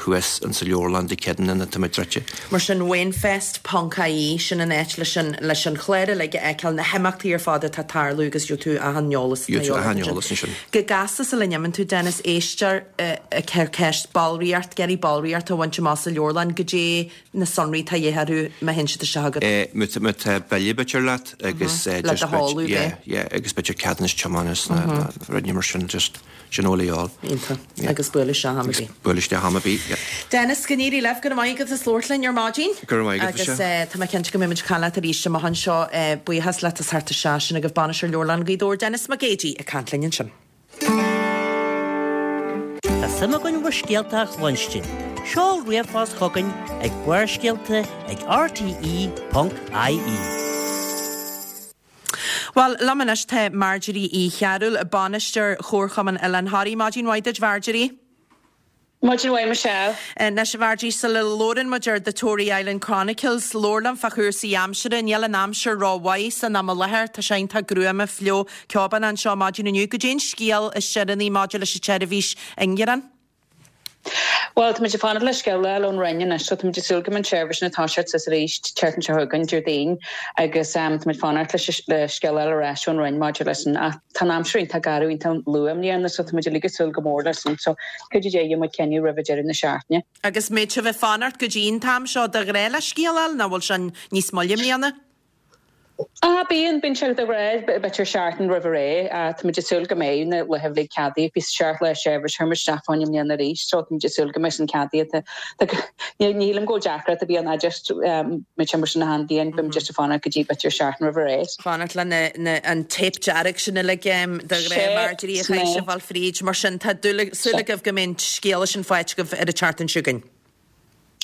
thuas insa leabharlann Dé Céadaoine nuair atá muid druidte. Mar sin Wainfest ponc ie sin an áit leis an leis an chlár uilig a fheiceáil, na himeachtaí ar fad atá ag tarlú agus gheobhaidh tú achan eolas atá Gheobhaidh tú achan eolas ansin. Go gasta sula n-imíonn tú Dennis, éisteoir ag cur ceist ballraíocht, ag iarraidh ballraíocht a bhaint amach sa leabharlann, goidé na sonraí atá de dhíth orthu má théann siad isteach agat. Má tá tá bille b'fhéidir leat agus Le just do bit sheoladh yeah yeah agus b'fhéidir ceadúnas tiomána is na rudaí mar sin just sin a bhfuil a dhíobháil. Iontach. Agus buail isteach am ar bith. Buail isteach am ar bith, yeah. Dennis, go n-éirí libh, go raibh maith agat as labhairt linn ar maidin. Go raibh maith agat, Agus tá mé cinnte go mbeidh muid ag caint leat arís amach anseo. Buíochas leat as theacht isteach, sin agaibh Bainisteoir Leabharlann Ghaoth Dobhair, Dennis Mac Géidigh ag caint linn ansin. Tá suim againn bhur scéalta a chluinstin. Seol ríomhphost chugainn ag Barrscéalta ag rte ponc ie. Bhuel, liom anois tá Marjorie Uí Chearúil, Bainisteoir Chomharchumann Oileán Thoraí. Maidin mhaith duit, Marjorie. Maidin mhaith, Michelle. Anois, a Mharjorie, sula labhrann muid ar The Tory Island Chronicles, labhair liom fá chúrsaí aimsire. Níl an aimsir rómhaith san am i láthair, tá sé iontach gruama, fliuch, ceobánach anseo maidin inniu. Goidé an scéal is deireanaí maidir leis an tseirbhís ingearán? Bhuel, tá muid ag fanacht le scéal a fháil ón Roinn anois, so tá muid ag súil go mbeidh an tseirbhís ag toiseacht suas arís tseachtain seo chugainn, Déardaoin, agus um, tá muid ag fanacht leis le scéal a fháil ar ais ón Roinn maidir leis an ach tá an aimsir iontach garbh iontach luath i mbliana, so tá muid uilig ag súil go mór leis sin. So cuidiú Dé gheobhaidh muid cinneadh roimh deireadh na seachtaine. Agus mbeidh sibh ag fanacht go dtí an t-am seo de ghnáth le scéal a fháil, nó bhfuil sin níos moille i mbliana? Ah, bíonn, bíonn sé de ghnáth b'fhéidir seachtain roimh ré. Tá muid ag súil go mbeidh na laetha uilig ceadaithe. Bhí seacht lá seirbhís chuir muid isteach fá choinne i mbliana arís, so tá muid ag súil go mbeidh sin ceadaithe. Ní nílim go bhfuil deacracht a bhí ann just muid sin mar sin achan bhliain, bíonn just ag fanacht go dtí b'fhéidir seachtain roimh ré. Fanacht le na, na, an téip dearg sin uilig de ghnáth Marjorie a chaithfidh sibh fáil fríd. Mar sin tá dúil súil agaibh go mbeidh an scéal sin faighte agaibh ar an tseachtain seo chugainn.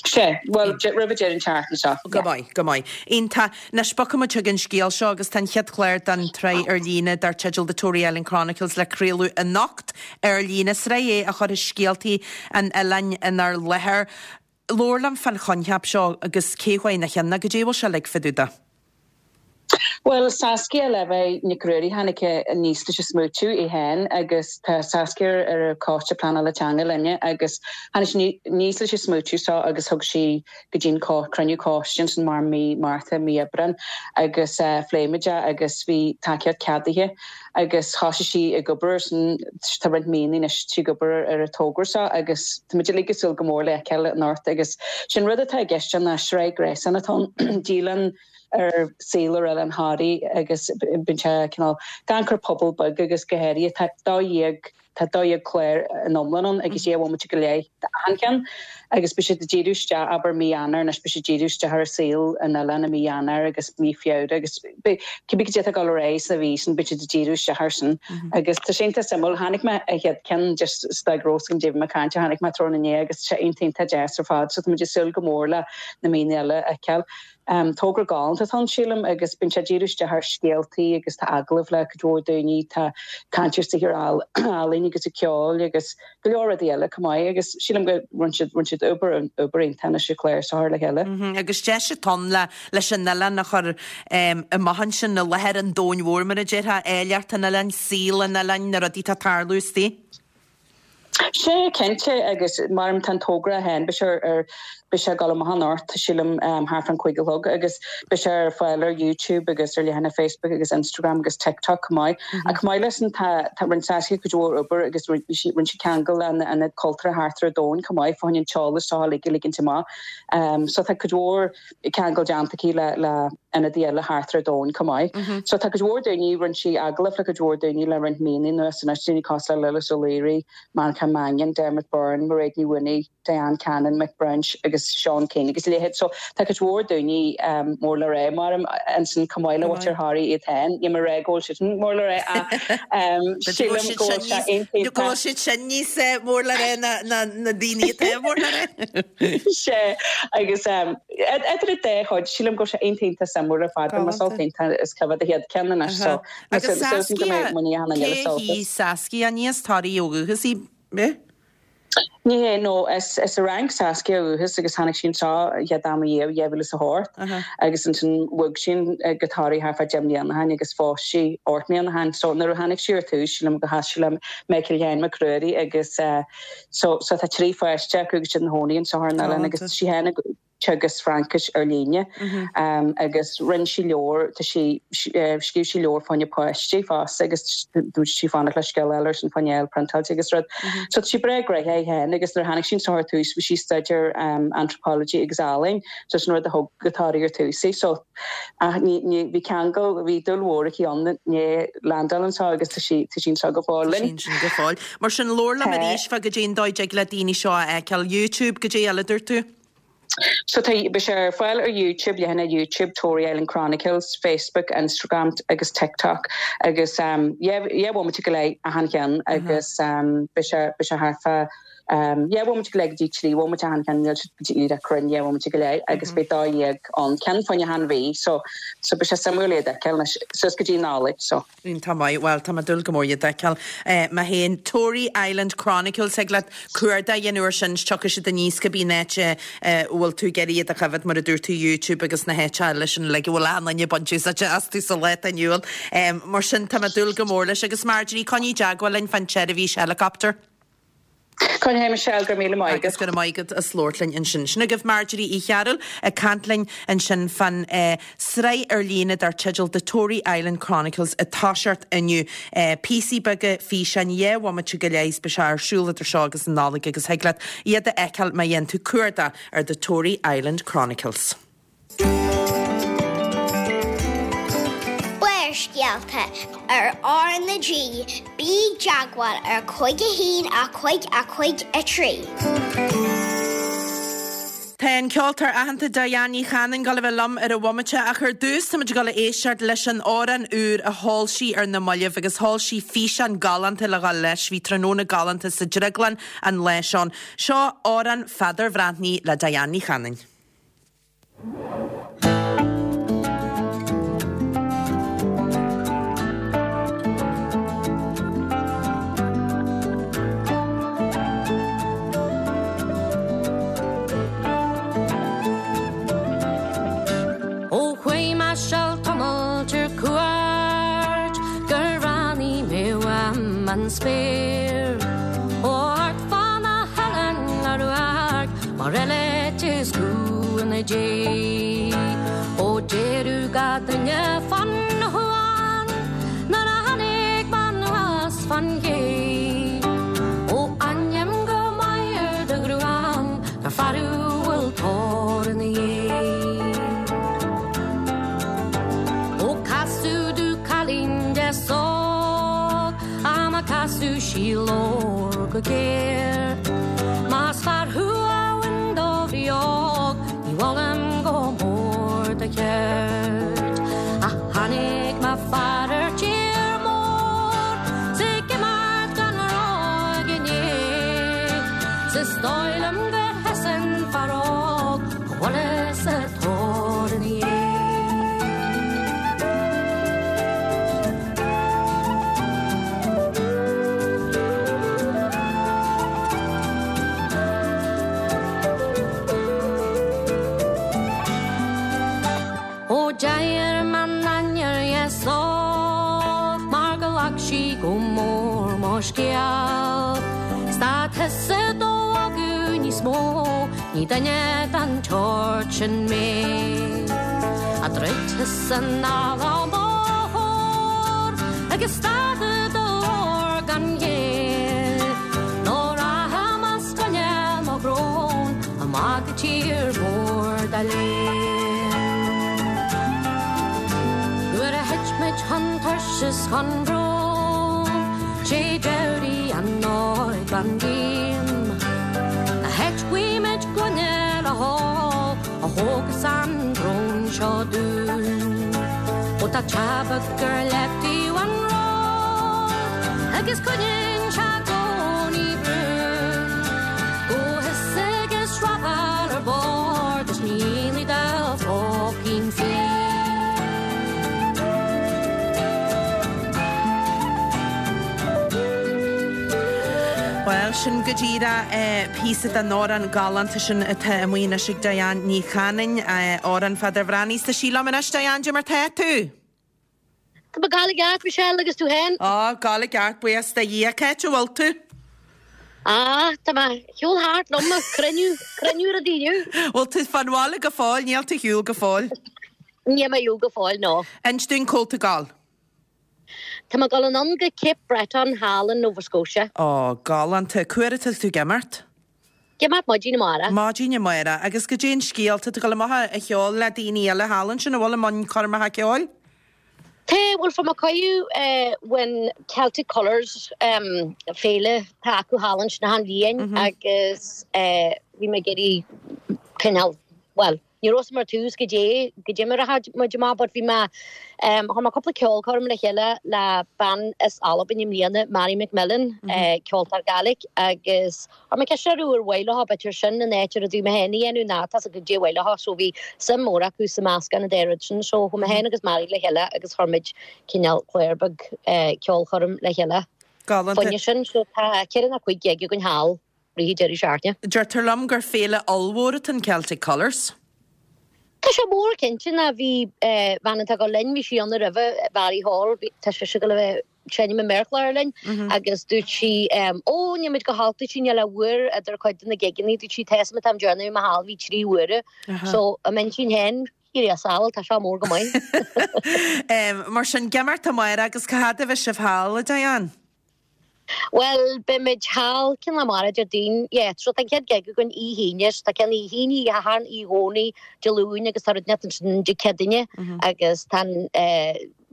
Sé, bhuel, roimh deireadh an tseachtain seo. Go maith, go maith. Iontach. Anois bogfaidh muid chuig an scéal seo agus tá an chéad chlár den tsraith ar líne dar teideal The Tory Island Chronicles le craoladh anocht ar líne. Sraith é a chuirfidh scéaltaí an oileáin inár láthair. Labhair liom fán choincheap seo agus cé chuaigh ina cheann, goidé a bhfuil sé uilig fá dtaobh de. Bhuel, Saskia Levi Nic Ruairí tháinig aníos leis an smaoitiú í féin agus tá Saskia ar an choiste pleanála teanga linne agus tháinig sí aníos leis an smaoitiú seo agus thug sí go dtí an cruinniú coiste ansin mar mí Márta mí Aibreán agus phléigh muid é agus bhí tacaíocht ceadaithe agus thosaigh sí ag obair san tá roinnt míonna anois sí ag obair ar an togra seo agus tá muid uilig ag súil go mór le feiceáil anocht agus sin rud atá i gceist ná sraith gréasáin atá dialann ar saol ar Oileán Thoraí agus bíonn sé cineál gan cur pobal beag agus go háirithe tá dó dhéag tá dó dhéag clár in iomlán ann agus dhá bhomaite go leith achan cheann agus beidh siad ag díriú isteach abair mí Eanáir anois beidh siad díriú isteach ar saol an oileáin i mí Eanáir agus mí Feabhra agus cibé cad é atá ag dul ar aghaidh sa mhí sin beidh siad ag díriú isteach air sin agus tá sé iontach suimiúil tháinig mé a chéad ceann just stag rós an David McCann tháinig mé tráthnóna inné agus sé iontach deas ar fad so tá muid ag súil go mór le na míonna eile a fheiceáil. Um, togra galánta atá ann sílim agus bíonn sé díriú isteach ar scéaltaí agus tá agallamh le cuid mhór daoine tá caint ar saothar ealaíne agus ceoil agus go leor rudaí eile chomh maith agus sílim go rinne siad rinne siad obair obair iontach sa chlár seo le chéile. Agus deis atá ann le leis an oileán a chur amach ansin i láthair an domhain mhóir mar a déarfá, áilleacht an oileáin, saol an oileáin, na rudaí atá ag tarlú istigh. Sé cinnte agus mar tá an togra féin beidh ar Beidh sé ag dul amach anocht, sílim thart fán cúig a chlog agus beidh sé ar fáil ar YouTube agus ar leathanach Facebook agus Instagram agus TikTok chomh maith. Ach chomh maith leis sin tá tá rinne Saskia cuid mhór obair agus bhí sí rinne sí ceangal le na ionaid cultúrtha thart ar an domhan chomh maith fá choinne an t-eolas seo uilig a ligint amach. So tá cuid mhór ceangal déanta aici le le ionadaí eile thart ar an domhan chomh maith. So tá cuid mhór daoine, rinne sí agallamh le cuid mhór daoine le roinnt míonna anuas anois, daoine cosúil le Lillis Ó Laoire, Manchán Mannion, Dermot Byrne, Mairéad Ní Mhaonaigh, Diane Cannon, Mick Branch agus Seán Keane agus a leithéid. So tá cuid mhór daoine um, mór le rá mar ansin chomh maith le mhuintir Thoraí iad féin. Níl mé ag rá go bhfuil siad sin mór le rá ach um, sílim go bhfuil sé iontach. Go bhfuil siad sin níos eh, mór le rá ná na, na daoine atá mór le rá. Sé agus um, idir an dá chuid sílim go bhfuil sé iontach suimiúil ar fad mar sult iontach is coimhéad a chéad ceann anois so Agus Saskia, cé hí Saskia ní as Toraigh ó dhúchas í? Bé? Ní hé nó is is as an Fhrainc Saskia ó dhúchas agus tháinig sí anseo chéad am riamh dhá mhíle is a hocht agus ansin bhog sí go Toraigh thart fá deich mbliana ó shin agus phós sí ocht mbliana ó shin. So nuair a tháinig sí ar tús sílim go sheas sí le Michael Sheáin Mac Ruairí agus so so tá trí pháiste acu agus siad ina gcónaí anseo ar an oileán agus sí féin ag teagasc Fraincis ar líne agus rinne sí leabhar, tá sí, scríobh sí leabhar fá choinne páistí fosta agus dúirt sí fanacht le scéal eile ar sin fá choinne a fháil priontáilte agus rud. So tá sí breá gnoitheach í féin agus nuair a tháinig sí anseo ar tús bhí sí ag staidéar anthropology agus ealaín so sin rud a thug go Toraigh ar tús í. So ach ní, ní, bhí ceangal, bhí dúil mhór aici ann i ndiaidh landáil anseo agus tá sí, tá sí anseo go fóill linn. Tá sí ansin go fóill. Mar sin labhair liom arís fá goidé an dóigh a dtig le daoine seo a fheiceáil. YouTube, goidé eile dúirt tú? So tá, beidh sé ar fáil ar YouTube, leathanach YouTube Tory Island Chronicles, Facebook, Instagram agus TikTok agus um, yeah, yeah, bhomaite go leith achan cheann agus um, beidh sé, beidh sé thart fá um, yeah, bhomaite go leith go dtí trí bhomaite achan cheann, níl sé go dtí díreach cruinn dhá bhomaite go leith agus beidh dó dhéag ann ceann fá choinne achan mhí so, so beidh sé suimiúil iad a fheiceáil anois suas go dtí Nollaig so. Iontach maith, bhuel tá mé ag dúil go mór iad a fheiceáil mé féin. Tory Island Chronicles thig leat cuardach a dhéanamh air sin is tiocfaidh siad aníos cibé an áit a bhfuil tú ag iarraidh iad a choimhéad mar a dúirt tú YouTube agus na háite eile sin uilig a bhfuil achan duine ag baint úsáide astu sa lá atá inniu ann. Mar sin tá mé ag dúil go mór leis agus Marjorie coinnigh i dteagmháil linn fán tseirbhís helicopter. Coinneoidh Michelle, go raibh míle maith agat. Agus go raibh maith agat as labhairt linn ansin. Sin agaibh Marjorie Uí Chearúil ag caint linn ansin fán sraith ar líne dar teideal The Tory Island Chronicles ag toiseacht inniu. Píosaí beaga físeáin dhá bhomaite go leith is beidh sé ar siúl idir seo agus an Nollaig agus thig leat iad a fheiceáil má dhéanann tú cuardach ar The Tory Island Chronicles. Barrscéalta ar R na G, bí i dteagmháil ar cúig a haon a cúig a cúig a trí. Tá an ceoltóir aitheanta Diane Ní Chanainn ag dul a bheith liom ar an bhomaite ach ar dtús táimid ag dul a éisteacht leis an amhrán úr a sheol sí ar na mallaibh agus sheol sí físeán galánta le dhul leis. Bhí tráthnóna galánta sa Drioglann an lá seo. Seo amhrán Pheadair Bhreathnaigh le Diane Ní Chanainn. Ó chuaigh mé seal tamalt ar cuairt gur ráinig mé uaim an spéir. Ó thart fá na hoileáin le radharc mar eile is cumha na dé. Ó deireadh gach duine fan chuan nuair a tháinig mé anuas fan ché. Ó aithním go maith ar do ghruaim gur fear thú a bhfuil tóir ina dhiaidh. Ó casadh domh cailín deas óg á má casadh sí labhair go géar. Más fear thú a bhain do bhrí óg ní mholaim go mór do cheird. Ach tháinig mo fear ar tír mór 's ag imeacht gan rá inné. 'S is dóigh liom gur sheas an fear óg go bhfuil sa tóir ina dhiaidh. Ó deir m'ainnir dheas óg mar go ghlac sí go mór mo scéal. 'S tá tusa do fhágadh níos mó Ní duine den tsórt sin mé. A dhruidfeas anall an bóthar agus stadfad do ghlór gan ghéill. Nó rachainn as coinne mo bhrón amach go tír mhór dá léil. Nuair a thit muid chun tuirse is chun bróin, 'sé d'éirigh an óig-bhean díom. Na háit guímid gloine le hól a thógas an brón seo dúinn. Ó tá teabac gur leiftiú an ród agus coinníonn sé i gcónaí brún. Go his agus srafáil ar bord is níl i do phóicín féin. Bhuel, sin go díreach píosa den amhrán galánta sin atá amuigh anois ag Diane Ní Chanainn, Amhrán Pheadair Bhreathnaigh. Tá sí liom anois, Diane, cad é mar tá tú? Tá mé ag gabháil i gceart, Michelle, agus tú féin? Á, gabháil i gceart, buíochas do Dhia. Cá háit a bhfuil tú? Á, tá mé ar shiúl thart liom, cruinniú, cruinniú rudaí inniu. Bhfuil tú fán bhaile go fóill, níl tú ar shiúl go fóill? Níl mé ar shiúl go fóill, no. Inis dúinn cá bhfuil tú ag gabháil. Tá mé ag dul anonn go Cape Breton thall in Nova Scotia. Ó, galánta. Cá huair atá tú ag imeacht? Ag imeacht maidin amárach. Maidin amárach. Agus goidé an scéal, tá tú ag dul amach a cheol le daoine eile thall ansin, an bhfuil i mbun coirmeacha ceoil? Tá, bhuel fuair mé cuireadh bhain Celtic Colours féile atá acu thall ansin achan bhliain agus bhí mé ag iarraidh cineál, bhuel, ní raibh a fhios agam ar tús goidé, goidé mar a rachadh muid amach but bhí mé, chuir mé cúpla ceolchoirm le chéile le bean as Albain i mbliana, Mary McMillan, ceoltóir Gaelic agus chuir mé ceist orthu ar mhaith leo b'fhéidir sin in áit ar a dúinn mé féin a dhéanamh ná tá a fhios agat goidé mhaith leo so bhí suim mór acu sa meascán an dá rud sin so chuaigh mé féin agus Mary le chéile agus chuir muid cineál clár beag ceolchoirm le chéile. Galánta. Fá choinne sin so tá ceithre nó cúig gig againn thall rith an deireadh seachtaine. Deirtear liom gur féile ollmhór atá in Celtic Colours. Tá sé mór cinnte ná bhí bean atá ag dul linn, bhí sí ann roimhe, Mary Hall, bhí, tá sise ag dul a bheith ag seinm an méarchlár linn agus dúirt sí ó níl muid go holc, dúirt sí níl ach uair idir cuid de na gigeanna, dúirt sí tá a fhios agam an t-am deireanach a bhí mé thall bhí trí huaire so i m'intinn féin, Thiar a sábháil, tá seo mór go maith. Mar sin, ag imeacht amárach agus cá fhad a bheidh sibh thall, a Diane? Bhuel, beidh muid thall, cén lá amárach, Déardaoin, yeah, so tá an chéad gig againn oíche hAoine, so tá ceann oíche hAoine, oíche Shathairn, oíche Dhomhnaigh, Dé Luain agus tá rud inteacht ansin Dé Céadaoine agus tá an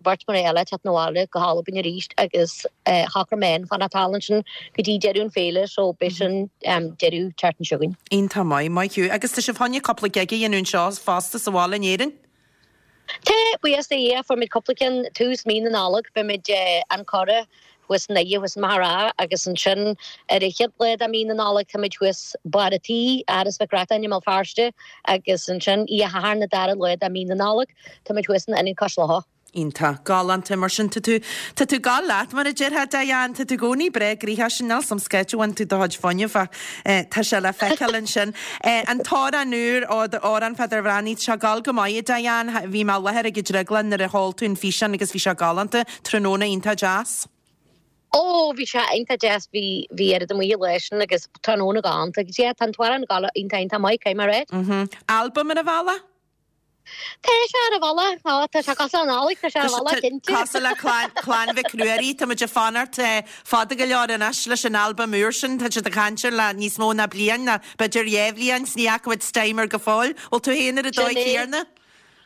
bheirt mná eile ag teacht 'na bhaile go hAlbain arís agus shocraigh mé féin fanacht thall ansin go dtí deireadh an féile so beidh sin deireadh tseachtain seo chugainn. Iontach maith, maith thú. Agus tá sibh chun cúpla gig a dhéanamh anseo fosta sa bhaile in Éirinn? Tá, buíochas do Dhia, fuair muid cúpla ceann tús mí na Nollag, beidh muid An Currach thuas i nDoire, thuas i Machaire Rátha agus ansin ar an chéad lá de mí na Nollag tá muid thuas Barr a' Tí, Áras Mhic Reachtain i mBéal Feirste agus ansin Oíche Shathairn an dara lá de mí na Nollag tá muid thuas in Ionad Cois Locha. Iontach. Galánta. Mar sin, tá tú, tá tú ag gabháil leat, mar a déarfá, Diane. Tá tú i gcónaí breá gnoitheach sin, níl 's a'm cá háit a bhfaigheann tú do chuid fuinnimh ach tá sé le feiceáil ansin. An t-amhrán úr, Amhrán Pheadair Bhreathnaigh, tá sé ag gabháil go maith, a Diane. Bhí mé i láthair ag an Drioglann nuair a sheol tú an físeán agus bhí sé galánta. Tráthnóna iontach deas. Ó, bhí sé iontach deas, bhí, bhí oiread amuigh an lá sin agus tráthnóna galánta agus yeah, tá an t-amhrán ag gabháil iontach iontach maith, caithfidh mé a rá. Mhm. Albam ar an bhealach? Tá sé ar an bhealach, á, tá sé cosúil le Nollaig, tá sé ar an bhealach, cinnte. Cosúil le clann, clann Mhic Ruairí, tá muid ag fanacht fada go leor anois leis an albam úr sin, tá siad ag caint air le níos mó ná bliain, ná b'fhéidir dhá bhliain, 's ní fhaca muid steam air go fóill. Bhfuil tú féin ar an Sin dóigh é. chéarna?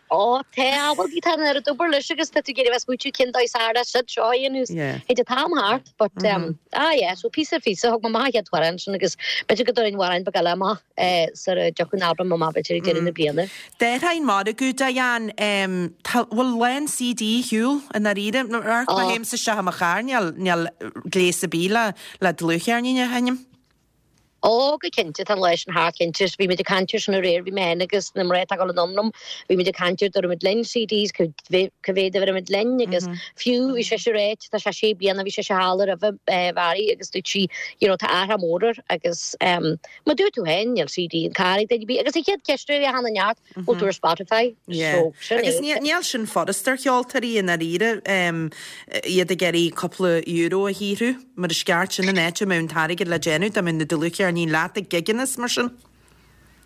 Ó, tá, bhuel, tá an oiread obair leis agus tá tú ag iarraidh a bheith ag smaointiú cén dóigh is fearr leis siad seo a dhéanamh. Yeah. Théid an t-am thart, but, um, ah yeah, so píosa ar phíosa, thug mé amach an chéad amhrán sin agus b'fhéidir go dtabharfainn amhrán beag eile amach eh, sara dtiocfaidh an albam amach b'fhéidir ag deireadh na bliana. Déarfainn margadh, Diane, um, tá, bhfuil a lán CD ar shiúl i ndáiríre? Nuair a Ó. théimse isteach i mo charr, níl, níl gléas ar bith le, le dlúthcheirnín a sheinm. Ó, go cinnte, tá an lá sin thart, cinnte. Bhí muid ag caint air sin aréir, bhí mé féin agus na mná atá ag dul anonn liom, bhí muid ag caint ar dtabharfaidh muid linn CDs, cá mhéad a bhéarfaidh muid linn agus fiú bhí sise ag ráit, tá sé sé bliana, bhí sise thall roimhe Mhary agus dúirt sí, you know, tá athrú mór air agus mar dúirt tú féin, níl CD an carr ag duine ar bith agus an chéad cheist a thagann ort, bhfuil tú ar Spotify? Yeah. So, sin Agus é. níl sin furast ar cheoltóirí i ndáiríre, iad ag iarraidh cúpla euro a shaothrú. Mar is ceart sin an áit a mbeadh an t-airgead le déanamh, dá mbeadh na dlúthcheirníní leat ag gigeanna is mar sin.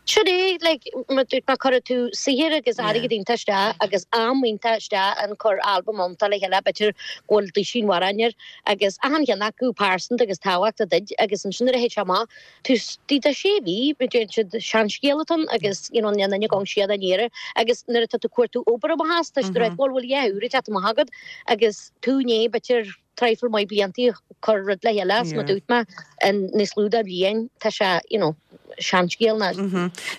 Sin é, like, mar dúirt mé, cuirfidh tú saothar agus airgead iontach isteach agus am iontach isteach in cur albam iontach le chéile, b'fhéidir go bhfuil duisín amhrán air agus achan cheann acu pearsanta agus tábhachtach duit agus ansin nuair a théid sé amach, tú istigh de sé mhí, mar deireann siad, seanscéal atá ann agus, you know, níl aon duine ag gabháil siar aniar agus nuair atá tú ag cuartú obair amach as, tá siad ag rá, bhuel, bhfuil dhá uair ag teacht amach agat agus tú i ndiaidh, b'fhéidir, traidhfil maith bliantaí cur rud le chéile, is mar dúirt mé, in níos lú de bhliain, tá sé, you know, seanscéal ná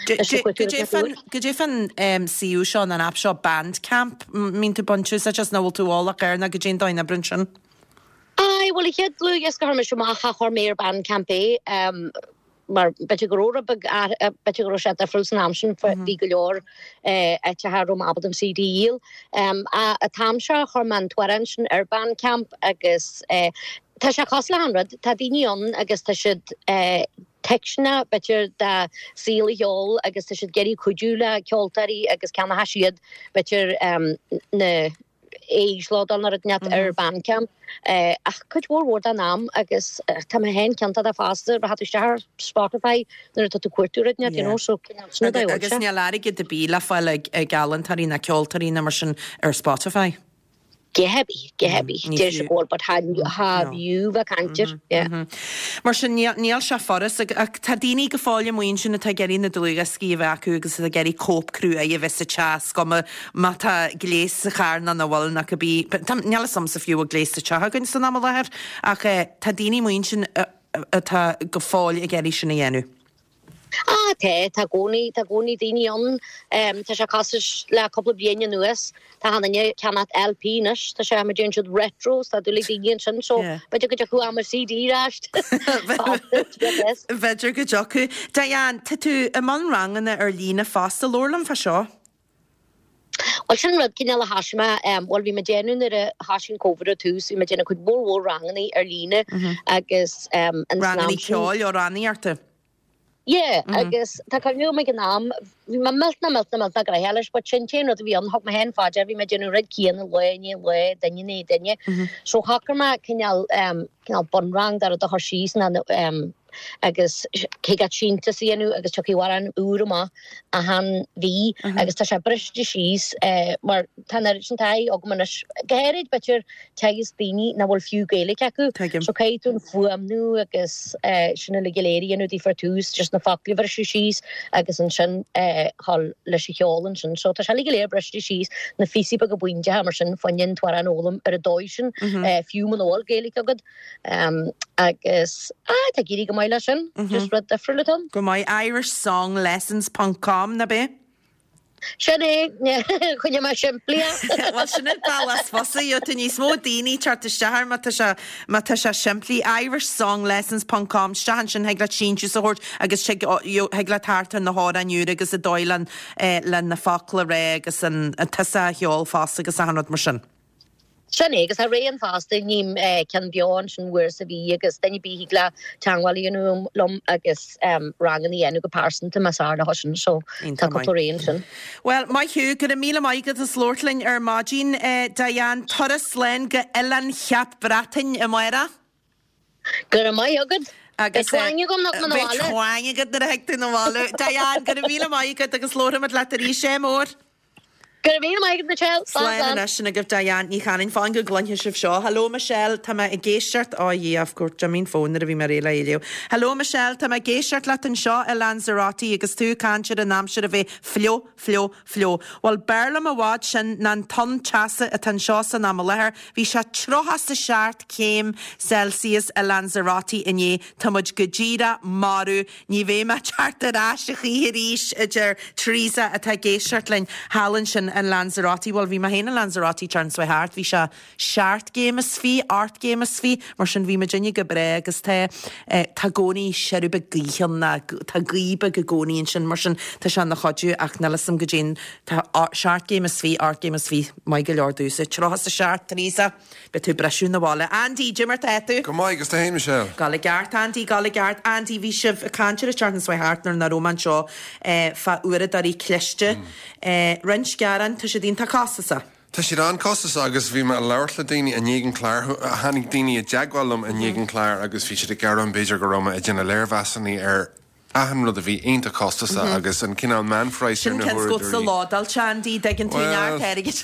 Goidé fán suíomh seo, an aip seo Bandcamp, mbíonn tú ag baint úsáid as nó bhfuil tú eolach air nó goidé an dóigh a n-oibríonn sin? Aye, bhuel an chéad dlúthdhiosca a chuir mise amach cha chuir mé ar Bandcamp é mar b'fhéidir go raibh rud beag b'fhéidir go raibh sé difriúil san am sin bhí go leor áiteacha a raibh mé ábalta an CD a dhíol. An t-am seo chuir mé an t-amhrán sin ar Bandcamp agus tá sé cosúil le achan rud, tá daoine ann agus tá siad tuisceanach b'fhéidir de saol an cheoil agus tá siad ag iarraidh cuidiú le ceoltóirí agus ceannóidh siad b'fhéidir na íoslódáil nó rud inteacht ar Bandcamp ach cuid mhór mhór den am agus tá mé féin ciontach de fosta rachaidh tú isteach ar Spotify nuair atá tú ag cuartú rud inteacht you know so cineál sin rud Agus níl airgead ar bith le fáil ag ag ealaíontóirí ná ceoltóirí ná mar sin ar Spotify. Go heavy, go heavy. Deir sé go bhfuil but cha bhfiú bheith ag caint air, yeah. Mar sin níl sé furast ach tá daoine go fóill amuigh ansin atá ag iarraidh na dlúthdhioscaí a bheith acu agus atá ag iarraidh cóip cruaidh a bheith sa teach is cuma má tá gléas sa charr nó nach bhfuil nó cibé. Níl fhios a'msa fiú bhfuil gléas sa teach againn san am i láthair ach tá daoine amuigh ansin atá go fóill ag iarraidh sin a dhéanamh. Ah, tá, tá i gcónaí, tá i gcónaí daoine ann. Tá sé cosúil le cúpla bliain anuas, tá achan duine ag ceannacht LP anois, tá sé, mar deireann siad retro, tá dúil ag daoine ansin, so b'fhéidir go dtiocfadh am ar CD ar ais. B'fhéidir go dtiocfadh. Diane, tá tú i mbun ranganna ar líne fosta, labhair liom fá seo. Bhuel sin rud cineál a thosaigh mé, bhuel bhí mé ag déanamh nuair a thosaigh an Covid ar tús, bhí mé ag déanamh cuid mhór mhór ranganna ar líne agus an Ranganna ceoil, amhránaíochta? Yeah, agus tá cuimhne agam ag an am, bhí mé millteanach millteanach millteanach gnoitheach leis, but sin t-aon rud a bhí ann, thug mé féin fá dear, bhí mé ag déanamh an rud céanna lá i ndiaidh lae, duine i ndiaidh duine. So shocraigh mé cineál, cineál bunrang de rud a chur síos ná agus thig leat síntiús a dhéanamh agus tiocfaidh amhrán úr amach achan mhí agus tá sé briste síos mar tá an oiread sin taithí agam anois, go háirid b'fhéidir teagasc daoine nach bhfuil fiú Gaeilge acu. Tuigim. So caithfidh tú an fuaimniú agus sin uilig go léir a dhéanamh daofa ar tús, just na focla a bhriseadh síos agus ansin dhul leis an cheol ansin. So tá sé uilig go léir briste síos, na phíosaí beaga bainteacha mar sin fá choinne an t-amhrán a fhoghlaim ar an dóigh sin, fiú muna bhfuil Gaeilge agat. Agus ah, tá ag éirí go maith leis sin, just rud difriúil atá ann. Go maith. Irishsonglessons ponc com, ná b'é? Sin é, choinnigh mé simplí é. Bhuel, sin an bealach is fusa, gheobhaidh tú níos mó daoine teacht isteach air má tá sé, má tá sé simplí. Irishsonglessons ponc com, isteach ansin thig leat síntiús a thabhairt agus tig, thig leat teacht ar na hamhráin úra agus an dóigh le, le na focla a rá agus an, an tosach an cheoil fosta agus achan rud mar sin. Sin é, agus tá ré ann fosta, ním ceann beo ansin uair sa mhí agus duine ar bith thig leat teagmháil a dhéanamh liom agus ranganna a dhéanamh go pearsanta más fearr leo sin, so tá cúpla ré ansin. Bhuel, maith thú, go raibh míle maith agat as labhairt linn ar maidin, Diane. Turas slán go Oileán Cheap Breatainn amárach. Go raibh maith agat. Agus Beidh twang agam nuair a thig mé 'na beidh bhaile. twang agat nuair a thig tú 'na bhaile. Diane, go raibh míle maith agat agus labharfaimid leat arís, ádh mór. Go raibh míle maith agat Michelle. Slán Slán slán. anois sin agaibh Diane Ní Chanainn. Fáin go gcluinfidh sibh seo. Hello Michelle, tá mé ag éisteacht, oh yeah of course, d'imigh an fón nuair a bhí mé réidh le é a léamh. Hello Michelle, tá mé ag éisteacht leat anseo i Lanzarote agus tú ag caint ar an aimsir a bheith fliuch, fliuch, fliuch. Bhuel b'fhearr liom i bhfad sin ná an tonn teasa atá anseo san am i láthair. Bhí sé tríocha is a seacht céim Celsius i Lanzarote inné. Tá muid go díreach marbh. Ní bheidh mé ag teacht ar ais a choíche arís, a deir Teresa atá ag éisteacht linn thall ansin in Lanzarote. Bhuel, bhí mé féin in Lanzarote tseachtain seo thart, bhí sé seacht gcéim is fiche, ocht gcéim is fiche, mar sin bhí muidinne go breá agus tá eh, tá i gcónaí siorradh beag gaoithe ann ná tá gaoth beag i gcónaí ansin, mar sin tá sé ina chuidiú ach níl 'fhios a'm goidé an tá seacht gcéim is fiche, ocht gcéim is fiche, maith go leor domhsa. Tríocha is a seacht, Teresa. Beidh tú ag briseadh 'na bhaile. Andy, goidé mar tá tú? Go maith, agus tú fhéin, Michelle? Ag gabháil i gceart, Andy, ag gabháil i gceart. Andy, bhí sibh ag caint ar an tseachtain seo thart nuair nach raibh mé anseo fá uaireadóirí cliste. Roinnt gearán, tá siad iontach costasach. Tá siad an-chostasach agus bhí mé ag labhairt le daoine i ndiaidh an chláir, tháinig daoine i dteagmháil liom i ndiaidh an chláir agus bhí siad ag gearán b'fhéidir go raibh mé ag déanamh léirmheasanna ar achan rud a bhí iontach costasach agus an cineál meánphraghas ar Sin na ceann huaireadóirí. sa ládáilte, Andy, dtuigeann tú neart airgid.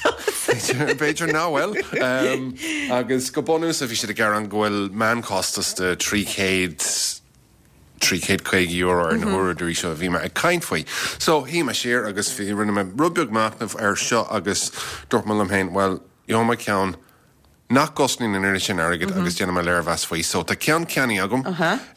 B'fhéidir nach bhfuil. Agus go bunúsach bhí siad ag gearán go bhfuil meánchostas de trí chéad, trí chéad caoga euro ar na huaireadóirí seo a bhí mé ag caint faoi. So shuigh mé siar agus bhí, rinne mé rud beag machnaimh air seo agus dúirt mé liom féin, bhuel, gheobhaidh mé ceann nach gcosnaíonn an oiread sin airgid agus déanfaidh mé léirmheas faoi. So tá ceann ceannaithe agam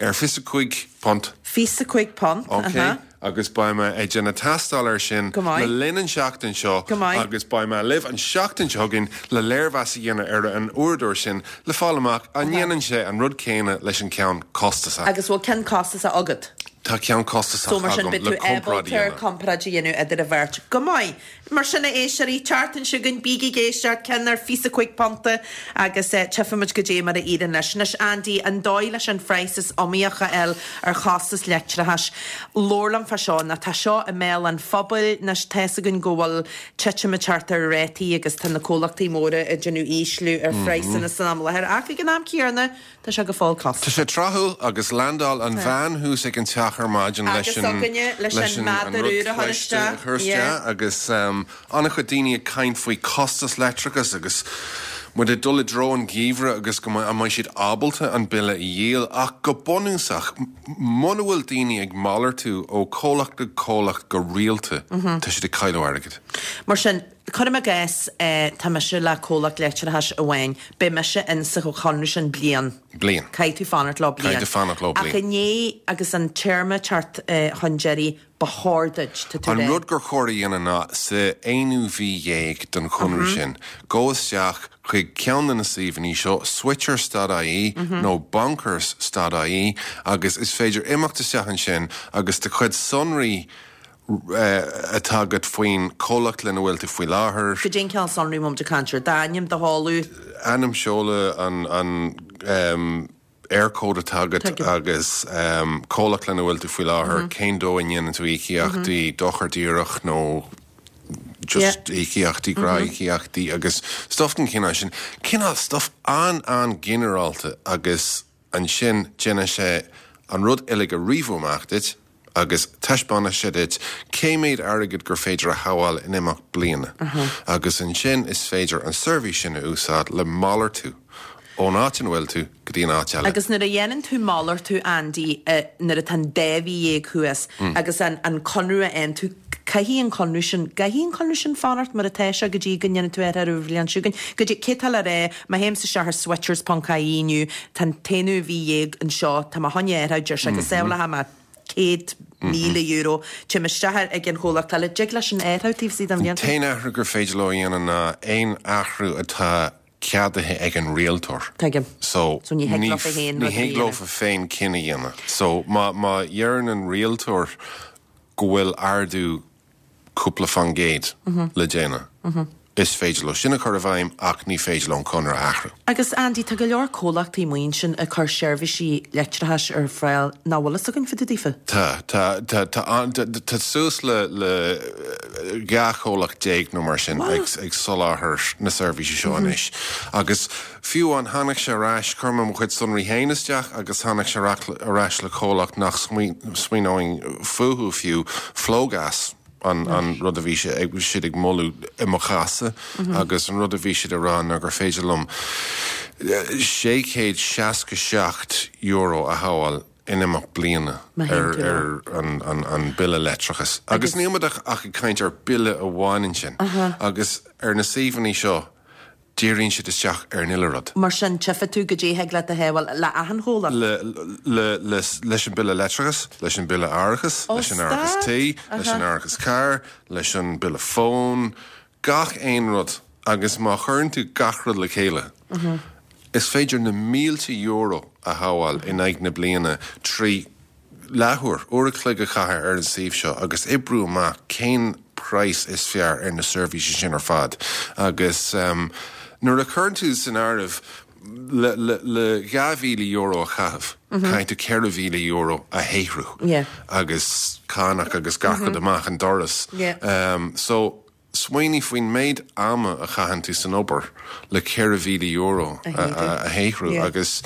ar fiche cúig punt. Fiche cúig punt, Ok. Agus beidh mé ag déanamh tástáil air sin Go maith. le linn an seachtain seo Go maith. agus beidh mé libh an seachtain seo chugainn le léirmheas a dhéanamh ar an uaireadóir sin le fáil amach an ndéanann sé an rud céanna leis an ceann costasach. Agus bhfuil ceann costasach agat? Tá ceann costasach So mar sin agam beidh le tú comparáid a ábalta dhéanamh. comparáid a dhéanamh idir an bheirt. Go maith. Mar sin a éisteoirí, tseachtain seo chugainn bígí ag éisteacht ceann ar fiche cúig punta agus tchífimid goidé mar a éiríonn leis. Anois Andy, an dóigh leis an phraghas is iomaíoch a fháil ar chostas leictreachais. Labhair liom fá seo, nó tá seo i mbéal an phobail, anois tá fhios againn go bhfuil titim ag teacht ar rátaí agus tá na comhlachtaí móra ag déanamh ísliú ar phraghsanna san am i láthair ach ag an am céanna tá sé go fóill Tá costasach. sé tráthúil agus landáil an bhean thuas ag an teach ar maidin leis Agus an againne leis an an meadar rud úr a chur cliste a isteach. chur isteach agus um, an-chuid daoine ag caint faoi costas leictreachas agus muid ag dul i dtreo an gheimhridh agus go mbeidh an mbeidh siad ábalta an bille a dhíol ach go bunúsach muna bhfuil daoine ag malartú ó comhlacht go comhlacht go rialta tá siad ag cailleadh airgid. Mar sin cuirim i gcás eh, tá mise le comhlacht leictreachais amháin, beidh mise in sa chonradh sin bliain. Bliain. Caithfidh tú fanacht leo bliain. Caithfidh tú fanacht leo bliain. Ach inné agus an téarma teacht eh, chun deiridh ba chóir duit tá tú An rá. rud gur chóir a dhéanamh ná sa aonú mhí dhéag den chonradh sin, gabh isteach chuig ceann de na suíomhanna seo switchers.ie nó bonkers.ie agus is féidir imeacht isteach ansin agus do chuid sonraí eh, atá agat faoin comhlacht lena bhfuil tú faoi láthair. Goidé an cineál sonraí mum de cancer, d'ainm do sheoladh Ainm seoladh an an um, Eircode atá agat Tuigim. agus um, comhlacht lena bhfuil tú faoi láthair, cén dóigh a ndéanann tú íocaíochtaí dochar díreach nó just íocaíochtaí gnáthíocaíochtaí agus stuff den chineál sin. Cineál stuff an an-ghinearálta agus ansin déanann sé an rud uilig a ríomh amach duit agus taispeánann sé duit cé méid airgid gur féidir a shábháil in imeacht bliana. Agus ansin is féidir an seirbhís sin a úsáid le malartú ón áit ina bhfuil tú go dtí an áit eile. Agus nuair a dhéanann tú malartú Andy uh, nuair atá an dá mhí dhéag thuas agus an, an conradh a fhaigheann tú caithfidh an conradh sin caithfidh an conradh sin fanacht mar atá sé go dtí go ndéanann tú ar ar bhliain seo chugainn. Go dtí cé tá le rá má théim isteach ar switchers.ie inniu tá an t-aonú mhí dhéag anseo tá má choinne ar deir sé go sábhálfaidh mé céad míle euro Téim isteach ag an chomhlacht eile dtig leis an athrú taobh istigh den bhliain. T-aon athrú gur féidir leo a dhéanamh ná aon athrú atá ceadaithe ag an rialtóir. Tuigim. So, So ní thig leofa féin ní rud a thig dhéanamh. leofa féin cinneadh a dhéanamh. So má má dheireann an rialtóir go bhfuil ardú cúpla faoin gcéad le déanamh. Is féidir leo sin a chur i bhfeidhm ach ní féidir leo an conradh a athrú. Agus Andy tá go leor comhlachtaí maoin sin ag cur seirbhísí leictreachais ar fáil nach bhfuil fhios againn fá dtaobh daofa. Tá tá tá tá an- tá tá suas le le dhá chomhlacht déag nó mar sin ag ag soláthar na seirbhísí seo anois. Agus fiú an tháinig sé ar ais chuir mé mo chuid sonraí féin isteach agus tháinig sé ar ais le comhlacht nach smaoineoinn fúthu fiú Flogas an, an rud a bhí sé ag siad ag moladh i mo chás-sa agus an rud a bhí siad ag rá ná gur féidir liom sé chéad seasca seacht euro a shábháil in imeacht bliana Má ar, théann tú ar an, an, an bille leictreachais. Agus níl muid ach ach ag caint ar bille amháin ansin. Agus ar na suíomhanna seo díríonn siad isteach ar an uile rud. Mar sin tchífidh tú goidé thig leat a shábháil le achan chomhlacht. Le, le, le, leis an bille leictreachais, leis an bille árachas, Ó, leis an árachas stad. tí, leis an árachas cairr, leis an bille fóin, gach aon rud agus má chuireann tú gach rud le chéile. Is féidir na mílte euro a shábháil in aghaidh na bliana trí leathuair uair a chloig a chaitheamh ar an suíomh seo agus oibriú amach cén praghas is fearr ar na seirbhísí sin ar fad. Agus um, nuair a chuireann tú san áireamh le, le, le dhá mhíle euro a chaitheamh, caithfidh tú ceithre mhíle euro a shaothrú. Yeah. agus cánach agus gach rud amach an doras. Yeah. Um, so smaoinigh faoin méid ama a chaitheann tú san obair le ceithre mhíle euro A a, a, a shaothrú Yeah. agus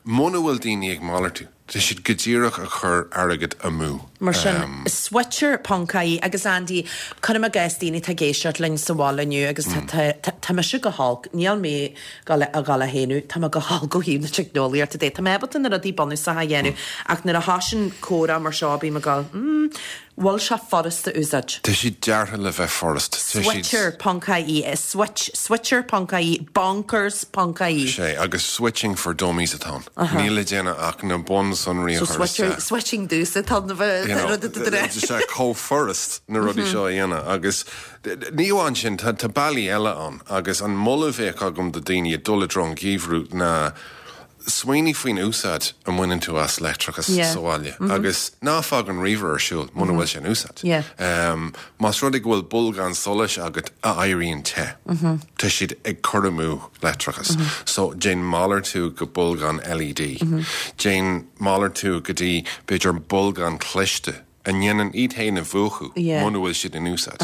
muna bhfuil daoine ag malartú Tá siad go díreach ag cur airgead amú. Mar sin, Switcher ponc ie agus Andy, cuirim i gcás daoine atá ag éisteacht linn sa bhaile inniu agus tá mise go holc, níl mé ag dul a shéanadh, tá mé go holc ó thaobh na teicneolaíochta de. Tá mé ábalta na rudaí bunúsacha a dhéanamh ach nuair a thosaíonn comhrá mar seo bím ag dul, mm, bhfuil sé furast a úsáid? Tá siad deartha le bheith furast. Switcher ponc ie, switch, switcher ponc ie, bonkers ponc ie. Sé, agus switching for dummies atá ann. Níl le déanamh ach na bunsonraí a So chur switcher, isteach. switching dúsa tá na bheith You know, rud a tá sé chomh furast na rudaí seo a dhéanamh agus ní amháin sin tá tá bealaí eile ann agus an moladh a bheadh agam do daoine ag dul i dtreo an gheimhridh ná smaoinigh faoin úsáid a mbaineann tú as leictreachas Yeah. sa bhaile agus ná fág an ríomhaire ar siúl muna bhfuil sé in úsáid. Yeah. Um, más rud é go bhfuil bolgán solais agat a éiríonn te. Tá siad ag cur amú leictreachas. So déan malartú go bolgán LED. Déan malartú go dtí b'fhéidir bolgán cliste a ndéanann iad féin a mhúchadh Yeah. muna bhfuil siad in úsáid.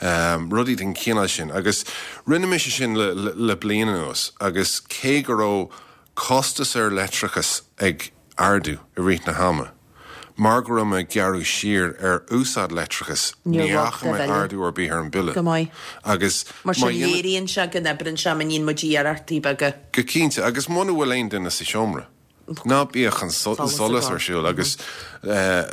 Um, rudaí den chineál sin agus rinne mise sin le, le, le bliain anuas agus cé go raibh costas ar leictreachas ag ardú i rith na hama. Mar go raibh mé ag gearradh siar ar úsáid leictreachas Níor ní bhog fhaca do mé bhille. ardú ar bith ar an bille. Go maith. Agus Mar sin má dhéanann- léiríonn sé go n-oibríonn sé má níonn muid iarrachtaí beaga. Go cinnte agus muna bhfuil aon duine sa seomra. Ná bíodh an so- Solas solas ag ar siúl agus eh,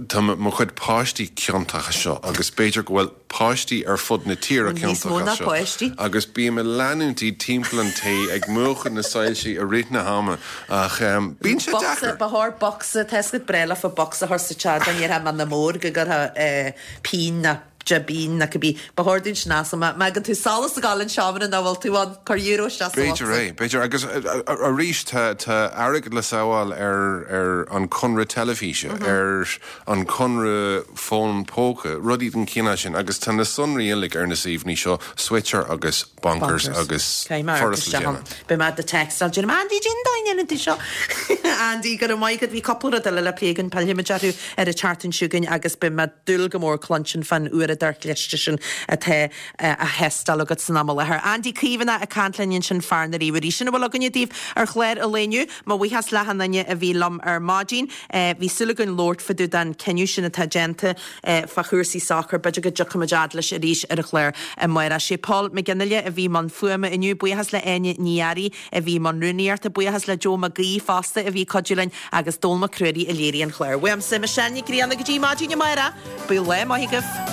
tá mo mo chuid páistí ciontach as seo agus b'fhéidir go bhfuil páistí ar fud na tíre Níos mó ciontach ná as seo. páistí. Agus bím ag leanúint iad timpeall an tí ag múchadh na soilsí i rith na hama ach um, bíonn sé Bocsa, deacair. ba chóir bocsa, tescad breile fa bocsa thar sa tead an dhéarfá man na mór go gcuirfeá eh, pinn na jibín na cibé. Ba chóir dúinn sin as má gan tú solas ag gabháil an seomra ná bhfuil tú an cur euro isteach sa B'fhéidir bhocsa. é, b'fhéidir agus eh, eh, arís tá tá airgead le sábháil ar ar an conradh teilifíse, ar an conradh fón póca, rudaí den chineál sin agus tá na sonraí uilig ar na suíomhanna seo Switcher agus Bonkers, agus Cé mar furast le déanamh. Be mad de textal Jim Andy Jin dain tú seo. Andy go maith go bhí cúpla rud eile le plé againn pillfimid orthu ar an tseachtain seo chugainn agus beidh mé ag dúil go mór cluinstin fan uaireadóir cliste sin atá á thástáil agat san am i láthair. Andy Caomhánach ag caint linn sin fear na ríomhairí sin a bhfuil againne daoibh ar chlár an lae inniu, mo bhuíochas le achan duine a bhí liom ar maidin, bhí súil againn labhairt fá dtaobh den cinneadh sin atá déanta fá chúrsaí sacair, b'fhéidir go dtiocfaimid fhad leis arís ar an chlár amárach. Sé Paul McGinley a bhí i mbun fuaime inniu, buíochas le Áine Ní Fhearraigh a bhí i mbun rúnaíochta, buíochas le Joe McGee fosta a bhí ag cuidiú linn agus Dónall Mac Ruairí a léirigh an chlár. Uaimse Michelle Ní Ghrianna go dtí maidin amárach, bíodh lá maith agaibh.